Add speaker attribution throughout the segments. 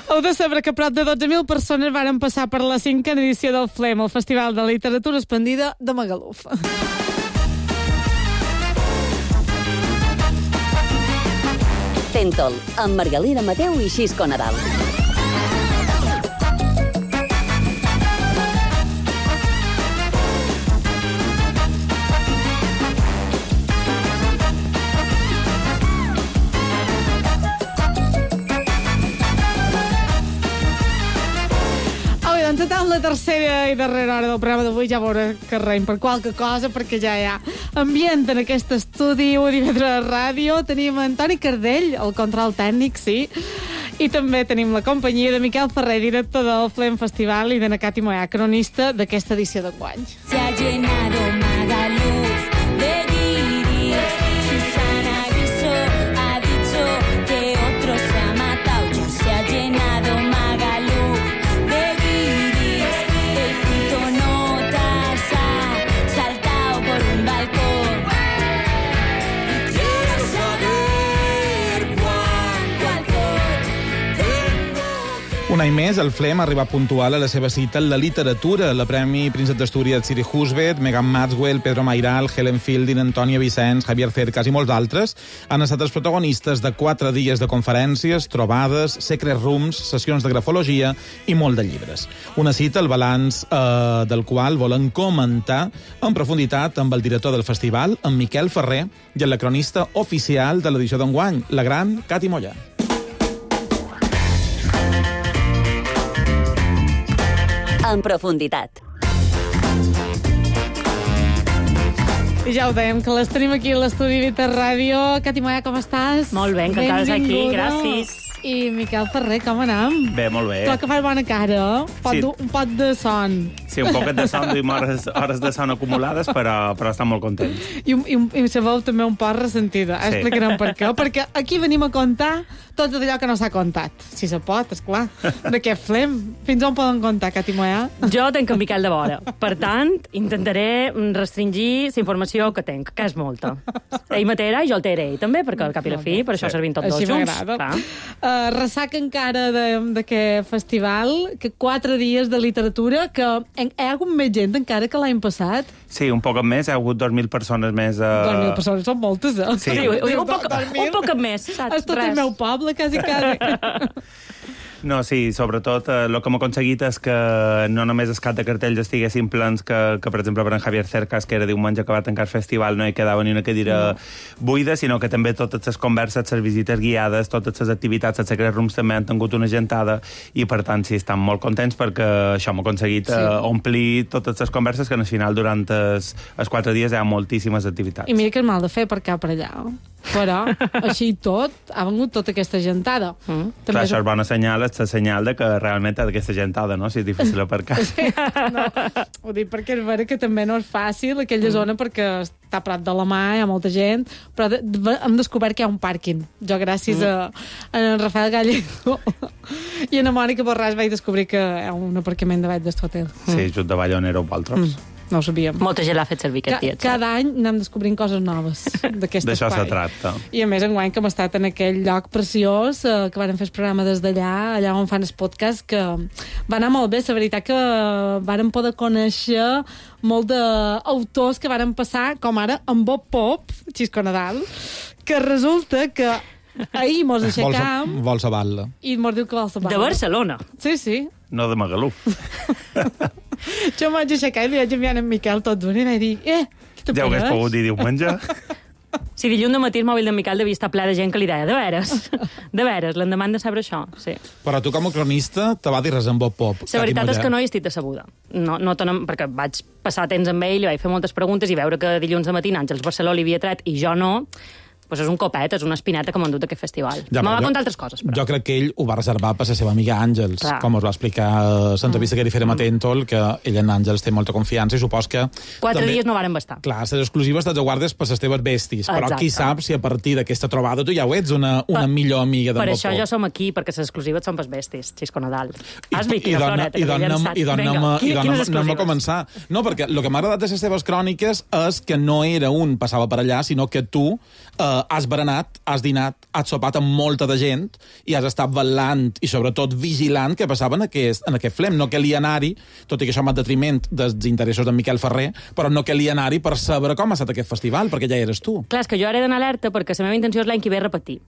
Speaker 1: Heu de saber que prop de 12.000 persones varen passar per la 5a edició del FLEM, el Festival de Literatura Esplendida de Magaluf.
Speaker 2: Tentol, amb Margalida Mateu i Xisco Nadal.
Speaker 1: Encetant la tercera i darrera hora del programa d'avui, ja veurà que reim per qualque cosa, perquè ja hi ha ambient en aquest estudi. Ho divendres a ràdio. Tenim en Toni Cardell, el control tècnic, sí. I també tenim la companyia de Miquel Ferrer, director del FLEM Festival, i de na Cati Moyà, cronista d'aquesta edició d'enguany.
Speaker 3: Se ha llenado Magaluf de guiris. Susana Griso ha dicho que otro se ha matado. Ya se ha llenado Magaluf de guiris. El puto Notas ha saltado por un balcón. Y quiero saber cuánto alcohol tengo que...
Speaker 4: Un any més, el FLEM ha arribat puntual a la seva cita en la literatura. La Premi Príncep d'Astúries Siri Husbet, Megan Maxwell, Pedro Mairal, Helen Fielding, Antònia Vicenç, Javier Cercas i molts d'altres han estat els protagonistes de 4 dies de conferències, trobades, secret rooms, sessions de grafologia i molt de llibres. Una cita, el balanç del qual volen comentar en profunditat amb el director del festival, en Miquel Ferrer, i amb la cronista oficial de l'edició d'enguany, la gran Cati Moyà.
Speaker 2: En profunditat.
Speaker 1: I ja ho dèiem, que les tenim aquí a l'estudi Vita Ràdio. Cati Moyà, com estàs?
Speaker 5: Molt bé, encantada d'estar aquí, gràcies.
Speaker 1: I Miquel Ferrer, com anem?
Speaker 6: Bé, molt bé.
Speaker 1: Tu que fas bona cara,
Speaker 6: Sí.
Speaker 1: un pot de son.
Speaker 6: Sí, un poquet de son, duim hores de son acumulades, però estem molt contents.
Speaker 1: I la veu també un poc ressentida.
Speaker 6: Sí.
Speaker 1: Explicarem per què. Perquè aquí venim a contar tot allò que no s'ha contat. Si se pot, esclar. D'aquest FLEM. Fins on poden contar, Cati Moyà?
Speaker 5: Jo tenc en Miquel de vora. Per tant, intentaré restringir la informació que tenc, que és molta. Ell m'atera i jo el té ell també, perquè al cap i la fi, per això servim tots dos
Speaker 1: Així
Speaker 5: junts.
Speaker 1: m'agrada. Ressaca encara d'aquest festival, que 4 dies de literatura, que hi ha hagut més gent encara que l'any passat.
Speaker 6: Sí, un poc més, hi ha hagut 2.000 persones més.
Speaker 1: 2.000 persones són moltes, eh?
Speaker 6: Sí.
Speaker 5: Un poc més, saps?
Speaker 1: És tot el meu poble, quasi.
Speaker 6: No, sí, sobretot el que hem aconseguit és que no només el cap de cartells estiguessin plens, que per exemple per en Javier Cercas, que era diumenge que va tancar el festival, no hi quedava ni una cadira buida, sinó que també totes les converses, les visites guiades, totes les activitats, els secret rooms també han tingut una gentada, i per tant sí, estan molt contents perquè això hem aconseguit omplir totes les converses, que al final durant els 4 dies hi ha moltíssimes activitats.
Speaker 1: I mira que és mal de fer per cap per allà. Però, així i tot, ha vengut tota aquesta gentada.
Speaker 6: Clar, això és bona senyal, és la senyal de que realment hi ha aquesta gentada, no? Si és difícil aparcar.
Speaker 1: No, ho dic perquè és vera que també no és fàcil aquella zona, perquè està a prop de la mà, hi ha molta gent, però hem descobert que hi ha un pàrquing. Jo, gràcies a en Rafael Gallego i a na Mònica Borràs, vaig descobrir que hi ha un aparcament davall d'este hotel.
Speaker 6: Sí, just davall on éreu vosaltres.
Speaker 1: No ho sabíem.
Speaker 5: Molta gent l'ha fet servir aquest dia.
Speaker 1: Cada any anem descobrint coses noves d'aquest espai.
Speaker 6: D'això se tracta.
Speaker 1: I a més, enguany que hem estat en aquell lloc preciós, que van fer el programa des d'allà, allà on fan el podcast, que va anar molt bé. La veritat que varen poder conèixer molt d'autors que varen passar, com ara en Bob Pop, Xisco Nadal, que resulta que ahir mos aixecam...
Speaker 4: Vols a Batla.
Speaker 1: I mos diu que vols a Batla.
Speaker 5: De Barcelona.
Speaker 1: Sí, sí.
Speaker 6: No de Magaluf.
Speaker 1: Jo em vaig aixecar i li vaig enviar en Miquel tot d'un i vaig dir, què te
Speaker 6: Ja ho hagués pogut dir diumenge.
Speaker 5: Si dilluns de matí el mòbil d'en Miquel devia estar ple de gent que li deia, de veres, l'endemà de saber això, sí.
Speaker 4: Però tu, com a cronista, te va dir res amb Bob Pop.
Speaker 5: La veritat és que no hi estic decebuda. No, perquè vaig passar temps amb ell, li vaig fer moltes preguntes i veure que dilluns de matí Àngels Barceló li havia tret i jo no, doncs és un copet, és una espineta que m'ha endut aquest festival.
Speaker 4: Ja,
Speaker 5: me va contar altres coses, però.
Speaker 4: Jo crec que ell ho va reservar per la seva amiga Àngels,
Speaker 5: Clar.
Speaker 4: com us va explicar a l'entrevista que li farem a Tentol, que ell en Àngels té molta confiança i supos que...
Speaker 5: 4 dies no varen bastar.
Speaker 4: Clar, les exclusives te'ls guardes per les teves bestis, però
Speaker 5: Exacte.
Speaker 4: qui sap si a partir d'aquesta trobada tu ja ho ets una millor amiga d'en
Speaker 5: Per
Speaker 4: Bob
Speaker 5: això
Speaker 4: Pop.
Speaker 5: jo som aquí, perquè les exclusives són pels bestis, Xisco Nadal. Has vist
Speaker 4: I
Speaker 5: quina floreta que m'he llançat? Vinga, quines
Speaker 4: anem a
Speaker 5: exclusives?
Speaker 4: començar. No, perquè el que m'ha agradat de les teves cròniques és que no era un passava per allà, sinó que tu has berenat, has dinat, has sopat amb molta de gent i has estat vetllant i sobretot vigilant què passava en aquest flem. No calia anar-hi, tot i que això va en detriment dels interessos d'en Miquel Ferrer, però no calia anar-hi per saber com ha estat aquest festival, perquè ja eres tu.
Speaker 5: Clar, és que jo ara he d'anar alerta perquè la meva intenció és l'any que ve repetir.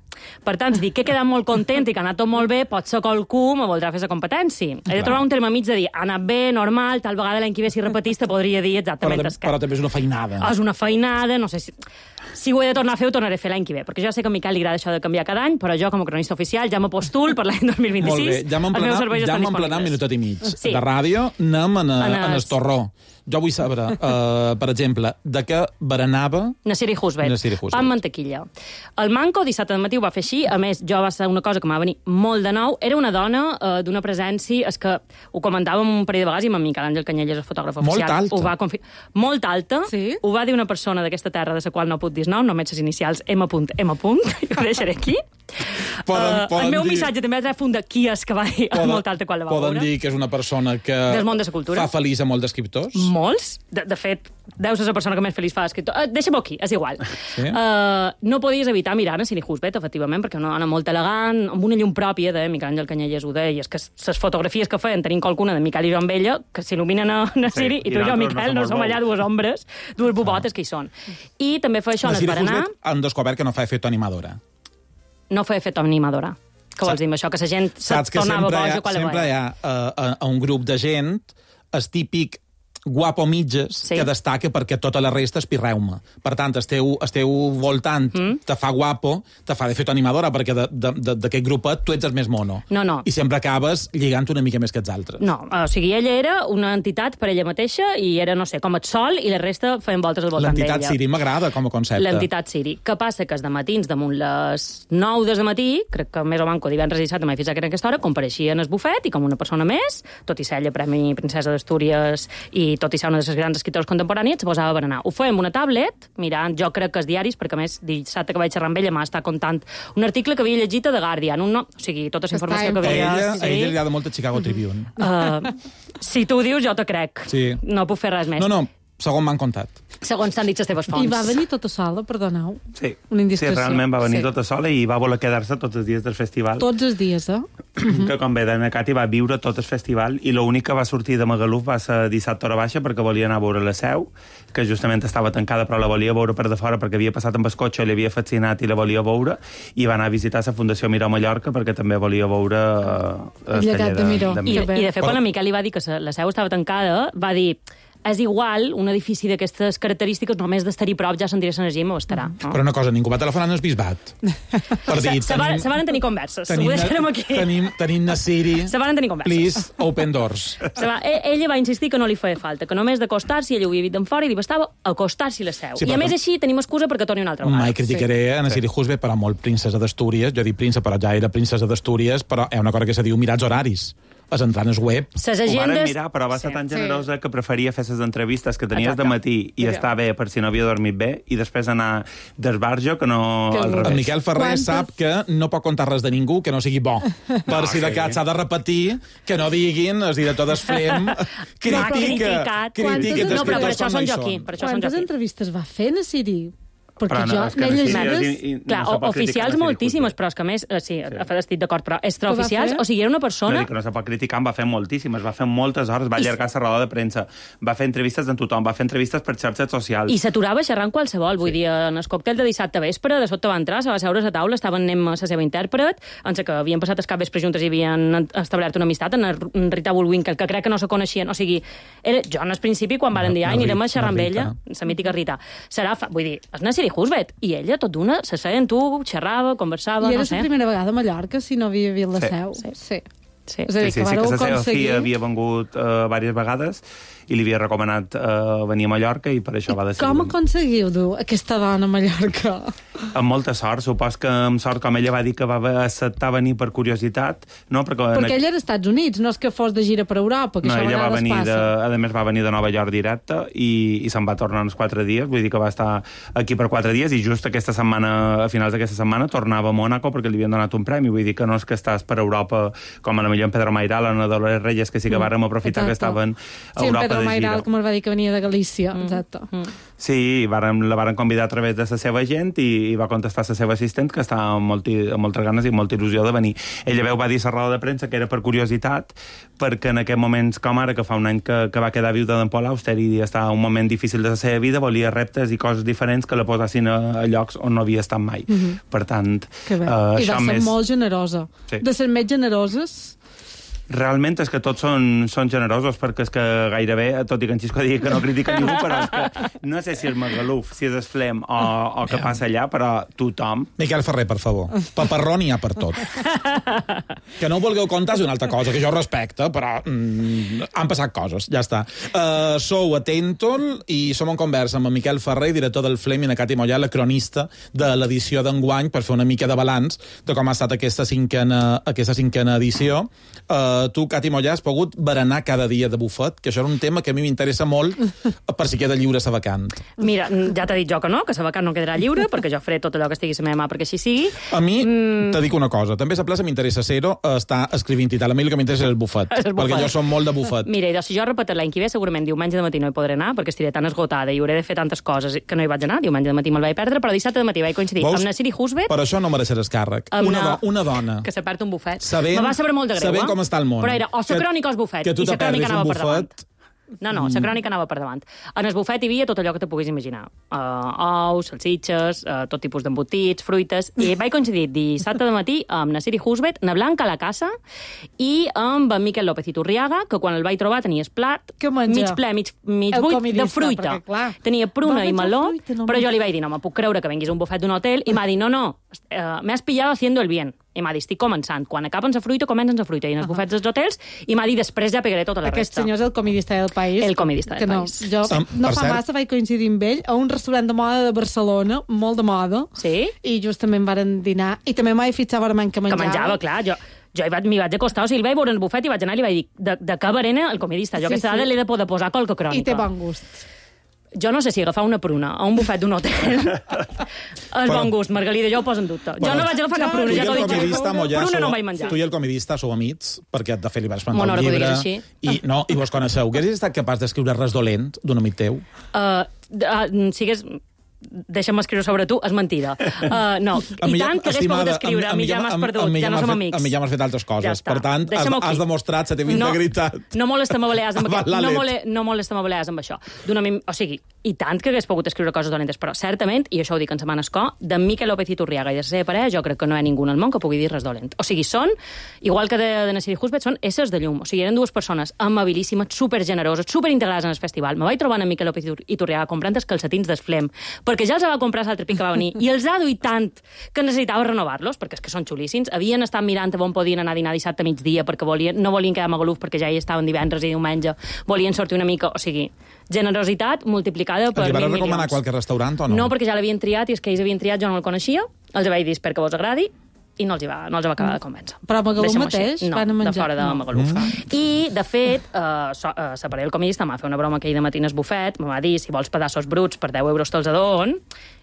Speaker 5: Per tant, si dic que he quedat molt content i que ha anat tot molt bé, potser qualcú me voldrà fer la competència. He de trobar un terme mig de dir, ha anat bé, normal, tal vegada l'any que ve si repetís te podria dir exactament
Speaker 4: però també és una feinada.
Speaker 5: És una feinada, no sé si ho he de tornar a fer, ho tornaré a fer l'any que ve, perquè jo sé que a Miquel li agrada això de canviar cada any, però jo com a cronista oficial ja m'apostol per l'any 2026.
Speaker 4: Molt bé, ja m'hem emplenat un minutet i mig. Sí. De ràdio anem en el torró. Jo vull saber, per exemple, de què berenava...
Speaker 5: Nasiri Husbet. Pa amb mantequilla. El Manco dissabte al matí ho va fer així. A més, jo va ser una cosa que m'ha venir molt de nou. Era una dona d'una presència... És que ho comentàvem un parell de vegades i amb Miquel Àngel Canyelles, el fotògraf oficial.
Speaker 4: Molt alta.
Speaker 5: Molt alta. Sí? Ho va dir una persona d'aquesta terra de la qual no puc dir nom, només les inicials M. Ho deixaré aquí. El meu missatge també ha tret fund de qui és que va dir molt alta quan la va veure.
Speaker 4: Poden dir que és una persona que
Speaker 5: del món de la cultura.
Speaker 4: Fa feliç a molts escriptors?
Speaker 5: Molts. De fet, deu ser la persona que més feliç fa l'escriptor. Deixa'm-ho aquí, és igual. Sí? No podies evitar mirar a Nasiri Husbet, efectivament, perquè una dona molt elegant, amb una llum pròpia de Miquel Àngel Canyelles ho deia, és que les fotografies que feien tenint qualcuna de Miquel i jo amb ella, que s'il·luminen a Nasiri, i tu i jo, Miquel, no som allà dues ombres, dues bobotes que hi són. I també fa això en el berenar...
Speaker 4: Nasiri Husbet han descobert que no fa efecte animadora.
Speaker 5: No fa efecte animadora. Què vols dir amb això? Que la gent se tornava boja quan la veia.
Speaker 4: Sempre hi ha un grup de gent, el típic guapo mitges, sí, que destaca perquè tota la resta és pirreuma. Per tant, esteu voltant, te fa guapo, te fa d'efecte animadora, perquè d'aquest grupet tu ets el més mono.
Speaker 5: No.
Speaker 4: I sempre acabes lligant una mica més que els altres.
Speaker 5: No, o sigui, ella era una entitat per ella mateixa i era, no sé, com el sol, i la resta feien voltes al voltant d'ella.
Speaker 4: L'entitat Siri m'agrada com a concepte.
Speaker 5: L'entitat Siri. Què passa? Que els dematins, damunt les 9 del matí, crec que més o manco divendres i dissabte m'he fixat que era aquesta hora, compareixia en el bufet i com una persona més, tot i ser ella Premi Princesa d'Astúries i tot i ser una de les grans escriptors contemporànies, se posava a berenar. Ho feia amb una tablet, mirant, jo crec que els diaris, perquè a més dissabte que vaig xerrar amb ella m'ha estat contant un article que havia llegit a The Guardian, o sigui, tota la informació que havia...
Speaker 4: A ella li agrada molt a Chicago Tribune.
Speaker 5: Si tu ho dius, jo te crec.
Speaker 4: Sí.
Speaker 5: No puc fer res més.
Speaker 4: No, segons m'han contat.
Speaker 5: Segons t'han dit les teves fonts.
Speaker 1: I va venir tota sola, perdoneu?
Speaker 6: Sí.
Speaker 1: Una indiscreció.
Speaker 6: Sí, realment va venir tota sola i va voler quedar-se tots els dies del festival.
Speaker 1: Tots els dies,
Speaker 6: Que com ve d'Anna Cati va viure tot el festival i l'únic que va sortir de Magaluf va ser dissabte a hora baixa perquè volia anar a veure la Seu, que justament estava tancada però la volia veure per de fora perquè havia passat amb el cotxe, l'havia fascinat i la volia veure, i va anar a visitar la Fundació Miró Mallorca perquè també volia veure el
Speaker 1: llegat de Miró.
Speaker 5: I de fet, quan la Miquel li va dir que la Seu estava tancada, va dir... És igual, un edifici d'aquestes característiques, només d'estar-hi prop ja sentiré l'energia i m'ho estarà. No?
Speaker 4: Però una cosa, ningú va telefonar en el bisbat. Per dir,
Speaker 5: se van tenir converses. Ho deixarem aquí.
Speaker 4: Tenim Nasiri.
Speaker 5: Se van tenir converses.
Speaker 4: Please, open doors.
Speaker 5: Ella va insistir que no li feia falta, que només d'acostar-s'hi, ella ho havia vist d'en fora i li bastava acostar-s'hi la Seu. Sí, I a més així tenim excusa perquè torni una altra vegada.
Speaker 4: Mai criticaré a Nasiri Husbet, però molt princesa d'Astúries. Jo dic príncep, però ja era princesa d'Astúries, però hi ha una cosa que se diu mirats horaris. Les entranes web.
Speaker 6: Ho van mirar, però va ser tan generosa que preferia fer les entrevistes que tenies de matí i estar bé per si no havia dormit bé i després anar d'esbarjo que no al revés.
Speaker 4: En Miquel Ferrer sap que no pot contar res de ningú que no sigui bo. Per si de cas s'ha de repetir, que no diguin, el director d'Esfrem critica...
Speaker 5: No, però per això són jo aquí.
Speaker 1: Quantes entrevistes va fer, Nasiri?
Speaker 6: Perquè jo n'he llegit...
Speaker 5: Clar, oficials moltíssimes, però és que més... Sí, estic d'acord, però extraoficials, o sigui, era una persona...
Speaker 6: No se pot criticar, va fer moltíssimes, va fer moltes hores, va allargar la roda de premsa, va fer entrevistes amb tothom, va fer entrevistes per xarxes socials.
Speaker 5: I s'aturava xerrant qualsevol, vull dir, en el còctel de dissabte vespre, de sota va entrar, se va seure a la taula, estaven anem a la seva intèrpret, en que havien passat el cap vespre juntes i havien establert una amistat, en Rita Bullwinkle, que crec que no se coneixien, o sigui, jo en el principi, quan varen dir, anirem a xerrar amb ella, la mítica Rita, vull dir, és Nasiri Husbet, i ella, tot d'una, se seia en tu, xerrava, conversava,
Speaker 1: no sé. I era la primera vegada a Mallorca, si no havia vist la Seu. Sí. És a dir, que
Speaker 6: la seva filla havia vengut diverses vegades i li havia recomanat venir a Mallorca i per això va decidir...
Speaker 1: Com aconseguiu dur aquesta dona a Mallorca?
Speaker 6: Amb molta sort, supos que amb sort, com ella va dir que va acceptar venir per curiositat, no? Perquè
Speaker 1: ella era als Estats Units, no és que fos de gira per Europa, que això a vegades passa.
Speaker 6: A més va venir de Nova York directe i se'n va tornar uns 4 dies, vull dir que va estar aquí per 4 dies i just aquesta setmana, a finals d'aquesta setmana, tornava a Mònaco perquè li havien donat un premi, vull dir que no és que estàs per Europa com a la jo en Pedro Mairal o en Dolores Reyes, que sí que vàrem aprofitar que estaven a Europa de gira.
Speaker 1: Sí, en Pedro Mairal, que me'l va dir que venia de Galícia, exacte.
Speaker 6: Sí, la varen convidar a través de la seva gent i va contestar la seva assistent, que estava amb moltes ganes i molta il·lusió de venir. Ella va dir a la roda de premsa que era per curiositat, perquè en aquests moments com ara, que fa un any que va quedar viuda d'en Paul Auster i estava un moment difícil de la seva vida, volia reptes i coses diferents que la posessin a llocs on no havia estat mai. Per tant,
Speaker 1: I va ser molt generosa.
Speaker 6: Sí.
Speaker 1: De ser més generoses...
Speaker 6: Realment és que tots són generosos, perquè és que gairebé, tot i que en Xisco digui que no critica ningú, però és que no sé si és Magaluf, si és Esflem o què passa allà, però tothom...
Speaker 4: Miquel Ferrer, per favor. Paparró n'hi ha per tot. Que no ho vulgueu contar és una altra cosa, que jo respecte, però han passat coses, ja està. Sou a Tentol i som en conversa amb en Miquel Ferrer, director del Flem, i na Cati Mollà, la cronista de l'edició d'enguany, per fer una mica de balanç de com ha estat aquesta cinquena edició. Tu, Cati Mollà, has pogut berenar cada dia de bufet, que això era un tema que a mi m'interessa molt per si queda lliure sa vacant.
Speaker 5: Mira, ja t'he dit jo que no, que sa vacant no quedarà lliure, perquè jo faré tot allò que estigui a la meva mà perquè així sigui.
Speaker 4: A mi, te dic una cosa, també a la plaça m'interessa ser-ho, està escrivint i tal. A mi el que m'interessa és el bufet, perquè jo som molt de bufet.
Speaker 5: Mira, si jo repetir l'any que ve, segurament diumenge de matí no hi podré anar, perquè estiré tan esgotada i hauré de fer tantes coses que no hi vaig anar. Diumenge de matí me'l vaig perdre, però dissabte de matí vaig coincidir amb na Siri Husbet.
Speaker 4: Per això no mereixeràs càrrec. Una dona
Speaker 5: que se perd un bufet.
Speaker 4: Me
Speaker 5: va saber molt de greu,
Speaker 4: sabent com està el món.
Speaker 5: Però era o la crònica o els bufets.
Speaker 4: Que tu te perdis un bufet...
Speaker 5: No, la crònica anava per davant. En el bufet hi havia tot allò que te puguis imaginar. Ous, salsitxes, tot tipus d'embotits, fruites... I vaig coincidir dissabte de matí amb na Siri Husbet, na Blanca a la casa, i amb en Miquel López Iturriaga, que quan el vaig trobar tenia el plat mig ple, mig buit de fruita. Tenia pruna i meló, però jo li vaig dir, no me puc creure que venguis a un bufet d'un hotel, i m'ha dit, no, me has pillado haciendo el bien. I m'ha dit, estic començant. Quan acaben la fruita, comencen la fruita. I en els bufets dels hotels, i m'ha dit, després ja pegaré tota la resta.
Speaker 1: Aquest senyor és el comidista del país.
Speaker 5: El comidista del país.
Speaker 1: Jo no fa massa vaig coincidir amb ell a un restaurant de moda de Barcelona, molt de moda, i justament varen dinar, i també m'he fixat veurament que menjava.
Speaker 5: Que menjava, clar, jo m'hi vaig acostar, o sigui, el vaig veure en el bufet i vaig anar i li vaig dir, de què berena el comidista? Jo aquesta dada l'he de poder posar qualque crònica.
Speaker 1: I té bon gust.
Speaker 5: Jo no sé si agafar una pruna a un bufet d'un hotel és bon gust, Margalida, jo ho poso en dubte. Jo no vaig agafar cap pruna, ja t'ho dic. Pruna no vaig menjar.
Speaker 4: Tu i el comidista sou amics, perquè de fet li vas plantar un llibre i vos coneixeu. Hauries estat capaç d'escriure res dolent d'un amic teu?
Speaker 5: Sigues... Deixa'm escriure sobre tu, és mentida. No, i tant que hagués pogut escriure, a mi ja m'has perdut, ja no som amics.
Speaker 4: A mi ja m'has fet altres coses, per tant, has demostrat la teva integritat.
Speaker 5: No molesta-me balears amb això. O sigui, i tant que hagués pogut escriure coses dolentes, però certament, i això ho dic en setmana escó, de Miquel López Iturriaga i de la seva parella, jo crec que no hi ha ningú en el món que pugui dir res dolent. O sigui, són, igual que de na Siri Husbet, són éssers de llum. O sigui, eren dues persones amabilíssimes, supergeneroses, superintegrades en el festival. Me vaig trobar en Miquel López Iturriaga comprant els calcetins d'Esflem, perquè ja els va comprar l'altre pic que va venir, i els ha duit tant que necessitava renovar-los, perquè és que són xulíssims. Havien estat mirant on podien anar a dinar dissabte a migdia, perquè no volien quedar a Magaluf, perquè ja hi estaven divendres i diumenge, volien sortir una mica, o sigui, generositat multiplicada per 1.000 milions.
Speaker 4: Els vas recomanar qualque restaurant o no?
Speaker 5: No, perquè ja l'havien triat, i és que ells havien triat, jo no el coneixia, els vaig dir, espero que vos agradi, i no els va acabar de convèncer.
Speaker 1: Però a Magaluf mateix van a menjar?
Speaker 5: No, de fora de Magaluf. I, de fet, la parella del comidista m'ha fet una broma aquell de matí al bufet, me va dir, si vols pedaços bruts per 10 euros te'ls adon,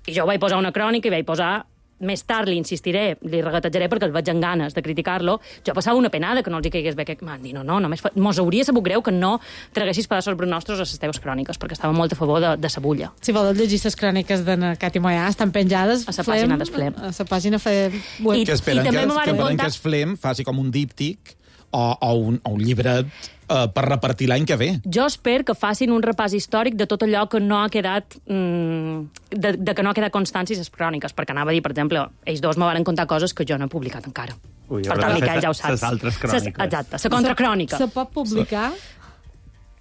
Speaker 5: i jo vaig posar una crònica i vaig posar, més tard li insistiré, li regatejaré perquè el veig amb ganes de criticar-lo, jo passava una penada que no els hi caigués bé, que m'han dit, només mos hauria sabut greu que no traguessis pedaços bruts nostres a les teves cròniques, perquè estava molt a favor de sa bulla.
Speaker 1: Si vols llegir les cròniques de Cati Mollà, estan penjades
Speaker 5: a la pàgina d'Esflem.
Speaker 1: A la pàgina web.
Speaker 4: Que esperen que Esflem faci com un díptic o un llibret per repartir l'any que ve.
Speaker 5: Jo espero que facin un repàs històric de tot allò que no ha quedat de que no ha quedat constància a les cròniques, perquè anava a dir, per exemple, ells dos me van contar coses que jo no he publicat encara.
Speaker 6: Per
Speaker 5: tant, Miquel, ja ho saps.
Speaker 6: Les altres cròniques.
Speaker 5: Exacte, la contracrònica.
Speaker 1: Se pot publicar?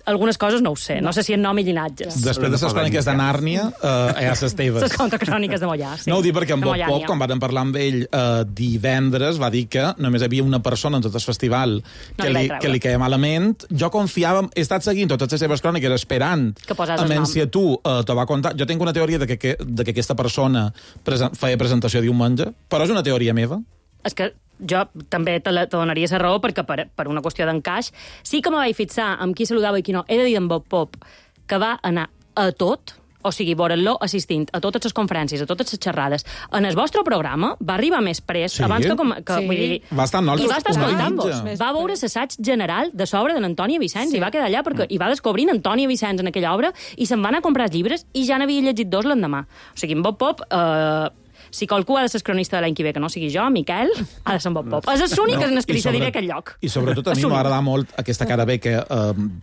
Speaker 5: Algunes coses no ho sé, no sé si en nom i llinatges.
Speaker 4: Després de les cròniques de Nàrnia, hi ha les teves.
Speaker 5: Les contracròniques de Mollà, sí.
Speaker 4: No ho dic perquè en Bob Pop, quan vam parlar amb ell divendres, va dir que només hi havia una persona en tot el festival que li queia malament. Jo confiava, he estat seguint totes les seves cròniques esperant si a tu te va contar. Jo tinc una teoria de que aquesta persona feia presentació diumenge, però és una teoria meva.
Speaker 5: És que jo també te donaria la raó perquè per una qüestió d'encaix sí que me vaig fixar amb qui saludava i qui no. He de dir en Bob Pop que va anar a tot, O sigui, veure-lo assistint a totes les conferències, a totes les xerrades. En el vostre programa va arribar més pres,
Speaker 4: Sí?
Speaker 5: abans que
Speaker 1: Sí.
Speaker 5: vull dir,
Speaker 4: Va estar amb nosaltres
Speaker 5: i va estar
Speaker 4: una
Speaker 5: escoltant-vos.
Speaker 4: mitja.
Speaker 5: Va veure l'assaig general de l'obra de l'Antònia Vicenç
Speaker 1: Sí.
Speaker 5: i va quedar allà perquè hi va descobrint Antònia Vicenç en aquella obra i se'n va anar a comprar els llibres i ja n'havia llegit 2 l'endemà. O sigui, en Bob Pop... si qualcú ha de ser cronista de l'any que ve, que no sigui jo, Miquel, ha de ser en Bob Pop. És l'únic en el que li cediré aquest lloc.
Speaker 4: I sobretot a mi m'agrada molt aquesta cara bé que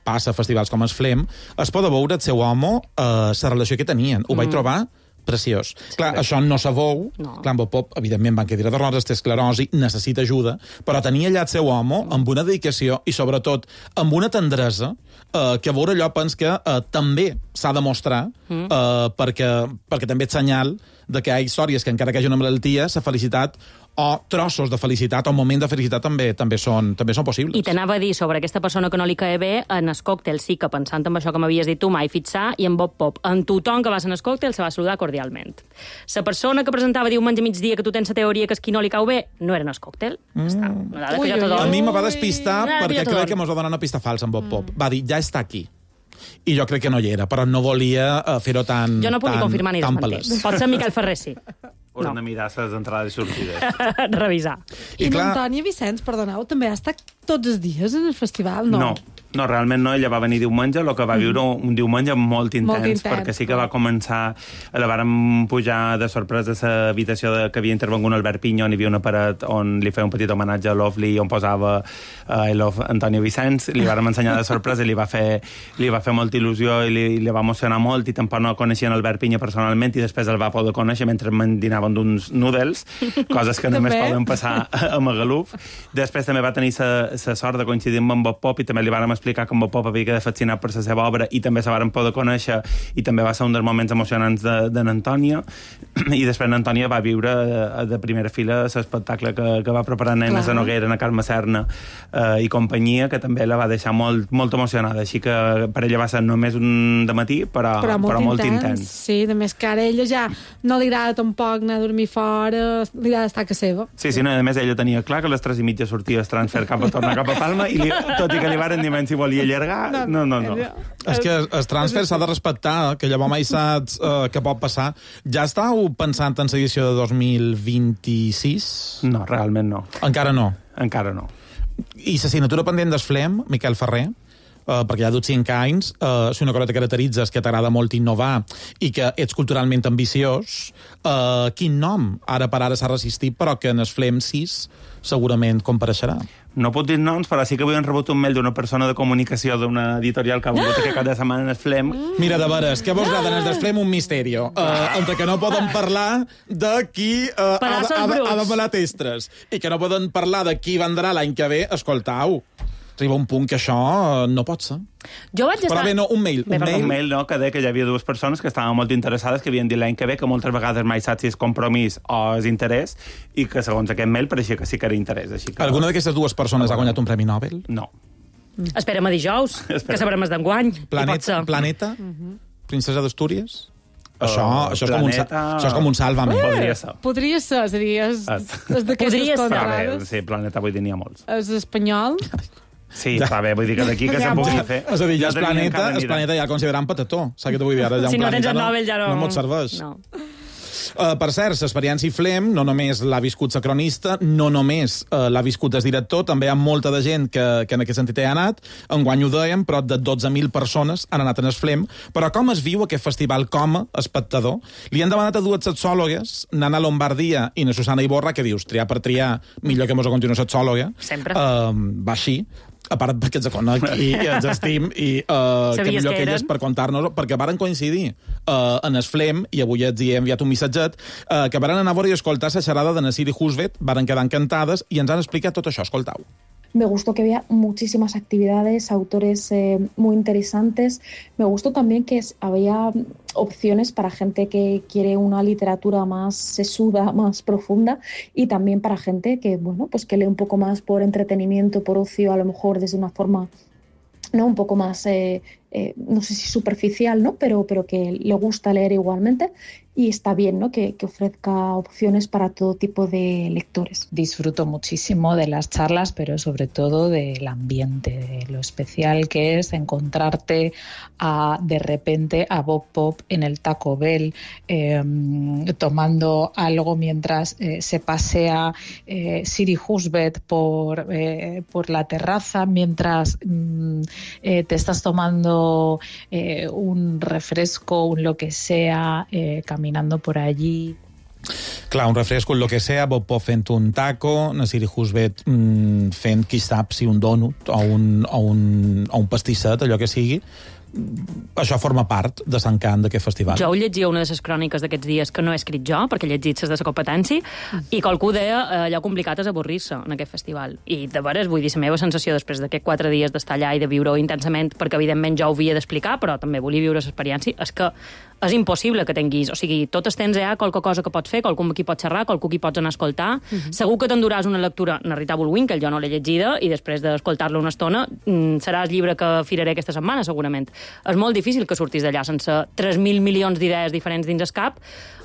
Speaker 4: passa a festivals com es Flem. Es pot veure el seu home, la relació que tenien. Ho vaig trobar preciós. Clar, això no se veu.
Speaker 5: No.
Speaker 4: Clar, en Bob Pop, evidentment, van quedar de roses, té esclerosi, necessita ajuda, però tenia allà el seu home amb una dedicació i, sobretot, amb una tendresa que a veure allò pens que també s'ha de mostrar perquè també és senyal de que hi ha històries que, encara que hi hagi una malaltia, la felicitat o trossos de felicitat o moment de felicitat també són possibles.
Speaker 5: I t'anava a dir sobre aquesta persona que no li cae bé, en el còctel sí que, pensant en això que m'havies dit tu, mai fixar, i en Bob Pop, en tothom que va ser en el còctel se va saludar cordialment. La persona que presentava diumenge a migdia que tu tens la teoria que és qui no li cau bé, no era en el còctel. Està. Una dada que jo te dono.
Speaker 4: A mi me va despistar
Speaker 5: Una dada
Speaker 4: perquè
Speaker 5: jo te
Speaker 4: crec
Speaker 5: dono.
Speaker 4: que mos va donar una pista falsa en Bob Pop. Va dir, ja està aquí. I jo crec que no hi era, però no volia fer-ho tan
Speaker 5: Jo no puc ni confirmar ni
Speaker 4: tan
Speaker 5: desmentir.
Speaker 4: palès.
Speaker 5: Pot ser Miquel Ferrer, sí.
Speaker 6: Haurem de mirar les entrades i sortides.
Speaker 5: Revisar.
Speaker 1: I l'Antònia Vicenç, perdoneu, també ha estat tots els dies en el festival, no?
Speaker 6: No, realment no. Ella va venir diumenge, el que va viure un diumenge molt intens, perquè sí que va començar... La vàrem pujar de sorpresa a l'habitació que havia intervengut Albert Pinyó, on hi havia una paret on li feia un petit homenatge a Lovely, on posava I love Antònia Vicenç, li vàrem ensenyar de sorpresa i li va fer molta il·lusió i li va emocionar molt, i tampoc no coneixien Albert Pinyó personalment, i després el va poder conèixer mentre dinaven d'uns noodles, coses que només poden passar a Magaluf. Després també va tenir la sort de coincidir amb en Bob Pop, i també li vàrem explicar que en Bob Pop havia quedat fascinat per la seva obra i també se varen poder conèixer, i també va ser un dels moments emocionants de n'Antònia. I després n'Antònia va viure de primera fila l'espectacle que va preparar Nenes a Noguera, a Carme Serna i companyia, que també la va deixar molt emocionada. Així que per ella va ser només un dematí, però molt intens.
Speaker 1: Sí, a més que ara ella ja no li agrada tampoc anar a dormir fora, li agrada estar a casa seva.
Speaker 6: Sí, no, a més ella tenia clar que a les 3:30 sortia el transfer tornar cap a Palma, i tot i que li varen dir si volia allargar, no.
Speaker 4: És que el transfer s'ha de respectar, que llavors mai saps què pot passar. Ja estàu pensant en l'edició de 2026?
Speaker 6: No, realment no.
Speaker 4: Encara no.
Speaker 6: Encara no.
Speaker 4: I l'assignatura pendent del Flem, Miquel Ferrer, perquè ja ha dut 5 anys, si una cosa te caracteritza és que t'agrada molt innovar i que ets culturalment ambiciós, quin nom ara per ara s'ha resistit, però que en el Flem 6 segurament compareixerà?
Speaker 6: No puc dir noms, però sí que avui hem rebut un mail d'una persona de comunicació d'una editorial que ha vingut aquest cap de setmana en el Flem.
Speaker 4: Mira, de veres, què vols dir en el Flem un misteri? Entre que no poden parlar de qui ha de pelar testres i que no poden parlar de qui vendrà l'any que ve, escoltau, arriba un punt que això no pot ser.
Speaker 5: Jo vaig estar...
Speaker 4: Però bé, no, un mail.
Speaker 6: Un mail, no, que deia que hi havia dues persones que estaven molt interessades, que havien dit l'any que ve, que moltes vegades mai saps si és compromís o és interès, i que segons aquest mail pareixia que sí que era interès. Així que...
Speaker 4: Alguna d'aquestes dues persones ha guanyat un Premi Nobel?
Speaker 6: No.
Speaker 5: Esperem a dijous, que sabrem el d'enguany.
Speaker 4: Planeta? Princesa d'Astúries? Això és com un sálvame.
Speaker 6: Podria ser.
Speaker 1: Podria ser, és a dir, és d'aquestes contrades.
Speaker 6: Sí, Planeta vull dir n'hi ha molts.
Speaker 1: És espanyol.
Speaker 6: Sí, està bé, vull dir que d'aquí que se'n pugui fer...
Speaker 4: És a dir, ja el planeta ja el consideram patató. Saps què t'ho vull dir? Ara ja
Speaker 5: si no tens el Nobel ja
Speaker 4: no mos serveix.
Speaker 5: No.
Speaker 4: Per cert, l'experiència Flem no només l'ha viscut la cronista, no només l'ha viscut el director, també hi ha molta de gent que en aquest sentit hi ha anat. Enguany ho dèiem, prop de 12.000 persones han anat en el Flem. Però com es viu aquest festival com a espectador? Li han demanat a dues sexòlogues, Nana Lombardia i na Susana Iborra, que dius, triar per triar, millor que mos ho continuï sexòloga.
Speaker 5: Sempre.
Speaker 4: Va així. A part perquè ens conec i ens estim i que millor que elles per contar-nos, perquè varen coincidir en el Flem, i avui els hi he enviat un missatget, que varen anar a veure i escoltar la xerrada de Nasiri Husvet, varen quedar encantades i ens han explicat tot això. Escoltau.
Speaker 7: Me gustó que había muchísimas actividades, autores muy interesantes. Me gustó también que había opciones para gente que quiere una literatura más sesuda, más profunda, y también para gente que, bueno, pues que lee un poco más por entretenimiento, por ocio, a lo mejor desde una forma, ¿no?, un poco más, no sé si superficial, ¿no?, pero que le gusta leer igualmente. y está bien, ¿no?, que ofrezca opciones para todo tipo de lectores.
Speaker 8: Disfruto muchísimo de las charlas, pero sobre todo del ambiente, de lo especial que es encontrarte de repente a Bob Pop en el Taco Bell tomando algo mientras se pasea Siri Husbeth por la terraza, mientras te estás tomando un refresco, un lo que sea, caminando por allí.
Speaker 4: Clar, un refresco, el que sea, Bob Pop fent un taco, una Siri Husbeth fent, qui sap, si un donut o un pastisset, allò que sigui. Això forma part de l'encant d'aquest festival.
Speaker 5: Jo ho llegia una de les cròniques d'aquests dies que no he escrit jo, perquè he llegit les de la competència, i qualcú deia allò complicat és avorrir-se en aquest festival. I de veres, vull dir, la meva sensació després d'aquests 4 dies d'estar allà i de viure-ho intensament, perquè evidentment jo ho havia d'explicar, però també volia viure l'experiència, és que és impossible que tinguis, o sigui, tot el temps hi ha qualque cosa que pots fer, qualcú amb qui pots xerrar, qualcú qui pots anar a escoltar. Segur que t'enduràs una lectura, Narrita Bullwinkle, jo no l'he llegida, i després d'escoltar-la una estona serà el llibre que firaré aquesta setmana, segurament. És molt difícil que surtis d'allà sense 3.000 milions d'idees diferents dins el cap,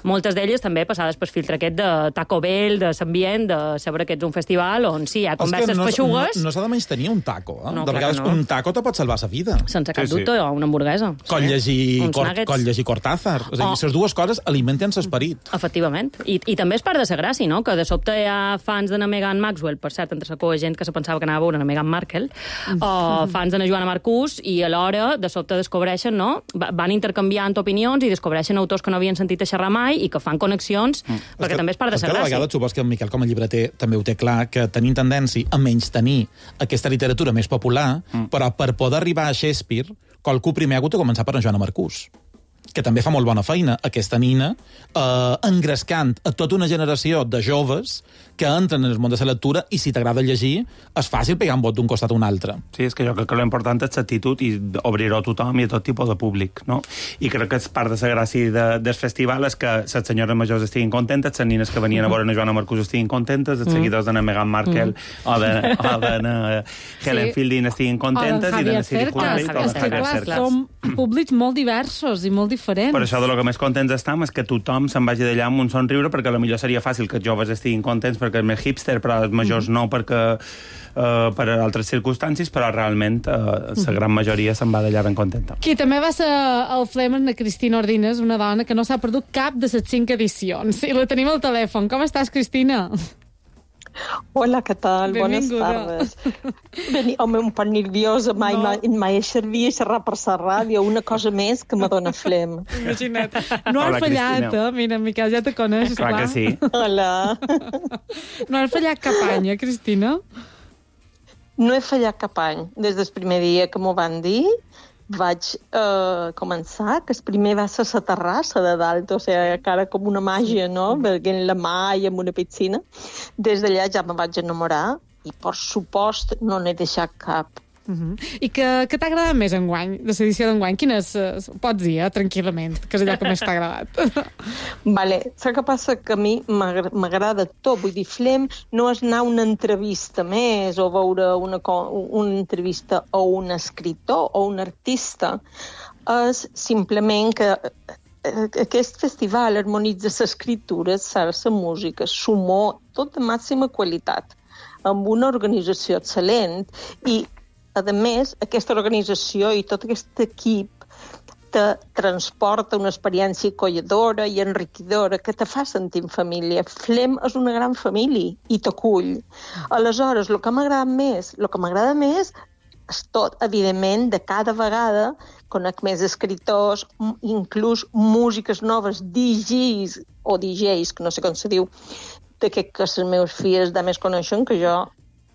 Speaker 5: moltes d'elles també passades per filtre aquest de Taco Bell, de l'ambient, de saber que ets un festival on sí, hi ha converses feixugues.
Speaker 4: No s'ha de menys tenir un taco, eh?
Speaker 5: No,
Speaker 4: de vegades un taco te pot salvar la vida.
Speaker 5: Sense cap dubte, o una hamburguesa.
Speaker 4: Coll llegir Cortázar. És a dir, les dues coses alimenten l'esperit.
Speaker 5: Efectivament. I també és part de la gràcia, no?, que de sobte hi ha fans de Meghan Maxwell, per cert, entre la coa gent que se pensava que anava a veure Meghan Markle, o fans de Joana Marcús, i alhora de sobte descobreixen, no?, van intercanviant opinions i descobreixen autors que no havien sentit a xerrar mai i que fan connexions, perquè també és part de la gràcia.
Speaker 4: A vegades supos que el Miquel, com a llibreter, també ho té clar, que tenim tendència a menys tenir aquesta literatura més popular, però per poder arribar a Shakespeare, qualcú primer ha hagut de començar per en Joana Marcús, que també fa molt bona feina, aquesta nina, engrescant a tota una generació de joves que entren en el món de la lectura i si t'agrada llegir, és fàcil pegar un vot d'un costat a un altre.
Speaker 6: Sí, és que jo crec que l'important és l'actitud i obrir-ho a tothom i a tot tipus de públic, no? I crec que és part de la gràcia del festival és que les senyores majors estiguin contentes, les nines que venien a veure Joana Marcús estiguin contentes, els seguidors de Meghan Markle o de Helen Fielding estiguin contentes i de Siri Husbeth o de Javier Cercas.
Speaker 1: Som públics molt diversos i molt diferents.
Speaker 6: Per això de lo que més contents estem és que tothom se'n vagi d'allà amb un somriure, perquè potser seria fàcil que els joves estiguin contents perquè és més hipster, però els majors no, perquè per altres circumstàncies, però realment la gran majoria se'n va d'allà ben contenta.
Speaker 1: Qui també va ser al Flem és la Cristina Ordines, una dona que no s'ha perdut cap de les 5 edicions. I la tenim al telèfon. Com estàs, Cristina?
Speaker 9: Hola, què tal?
Speaker 1: Benvinguda.
Speaker 9: Bones tardes. Home, un poc nerviosa, mai he servit a xerrar per la ràdio, una cosa més que me dona flem.
Speaker 1: Imagina't. No has fallat, Mira, Miquel, ja te coneixes.
Speaker 6: Clar que sí.
Speaker 9: Hola.
Speaker 1: No has fallat cap any, Cristina?
Speaker 9: No he fallat cap any. Des del primer dia que m'ho van dir, vaig començar, que el primer va ser la terrassa de dalt, o sigui, cara com una màgia, no?, veient la mà i amb una piscina. Des d'allà ja me vaig enamorar i, per supost, no n'he deixat cap.
Speaker 1: I què t'ha agradat més enguany, de l'edició d'enguany? Quines pots dir, tranquil·lament, que és allò que més t'ha agradat?
Speaker 9: Vale, saps què passa? Que a mi m'agrada tot, vull dir, Flem no és anar a una entrevista més o veure una entrevista o un escriptor o un artista, és simplement que aquest festival harmonitza l'escriptura, la música, l'humor, tot de màxima qualitat, amb una organització excel·lent i a més, aquesta organització i tot aquest equip te transporta una experiència acolledora i enriquidora que te fa sentir en família. Flem és una gran família i t'acull. Aleshores, el que m'agrada més és tot, evidentment, de cada vegada conec més escriptors, inclús músiques noves, DJs, que no sé com se diu, que les meves filles de més coneixen, que jo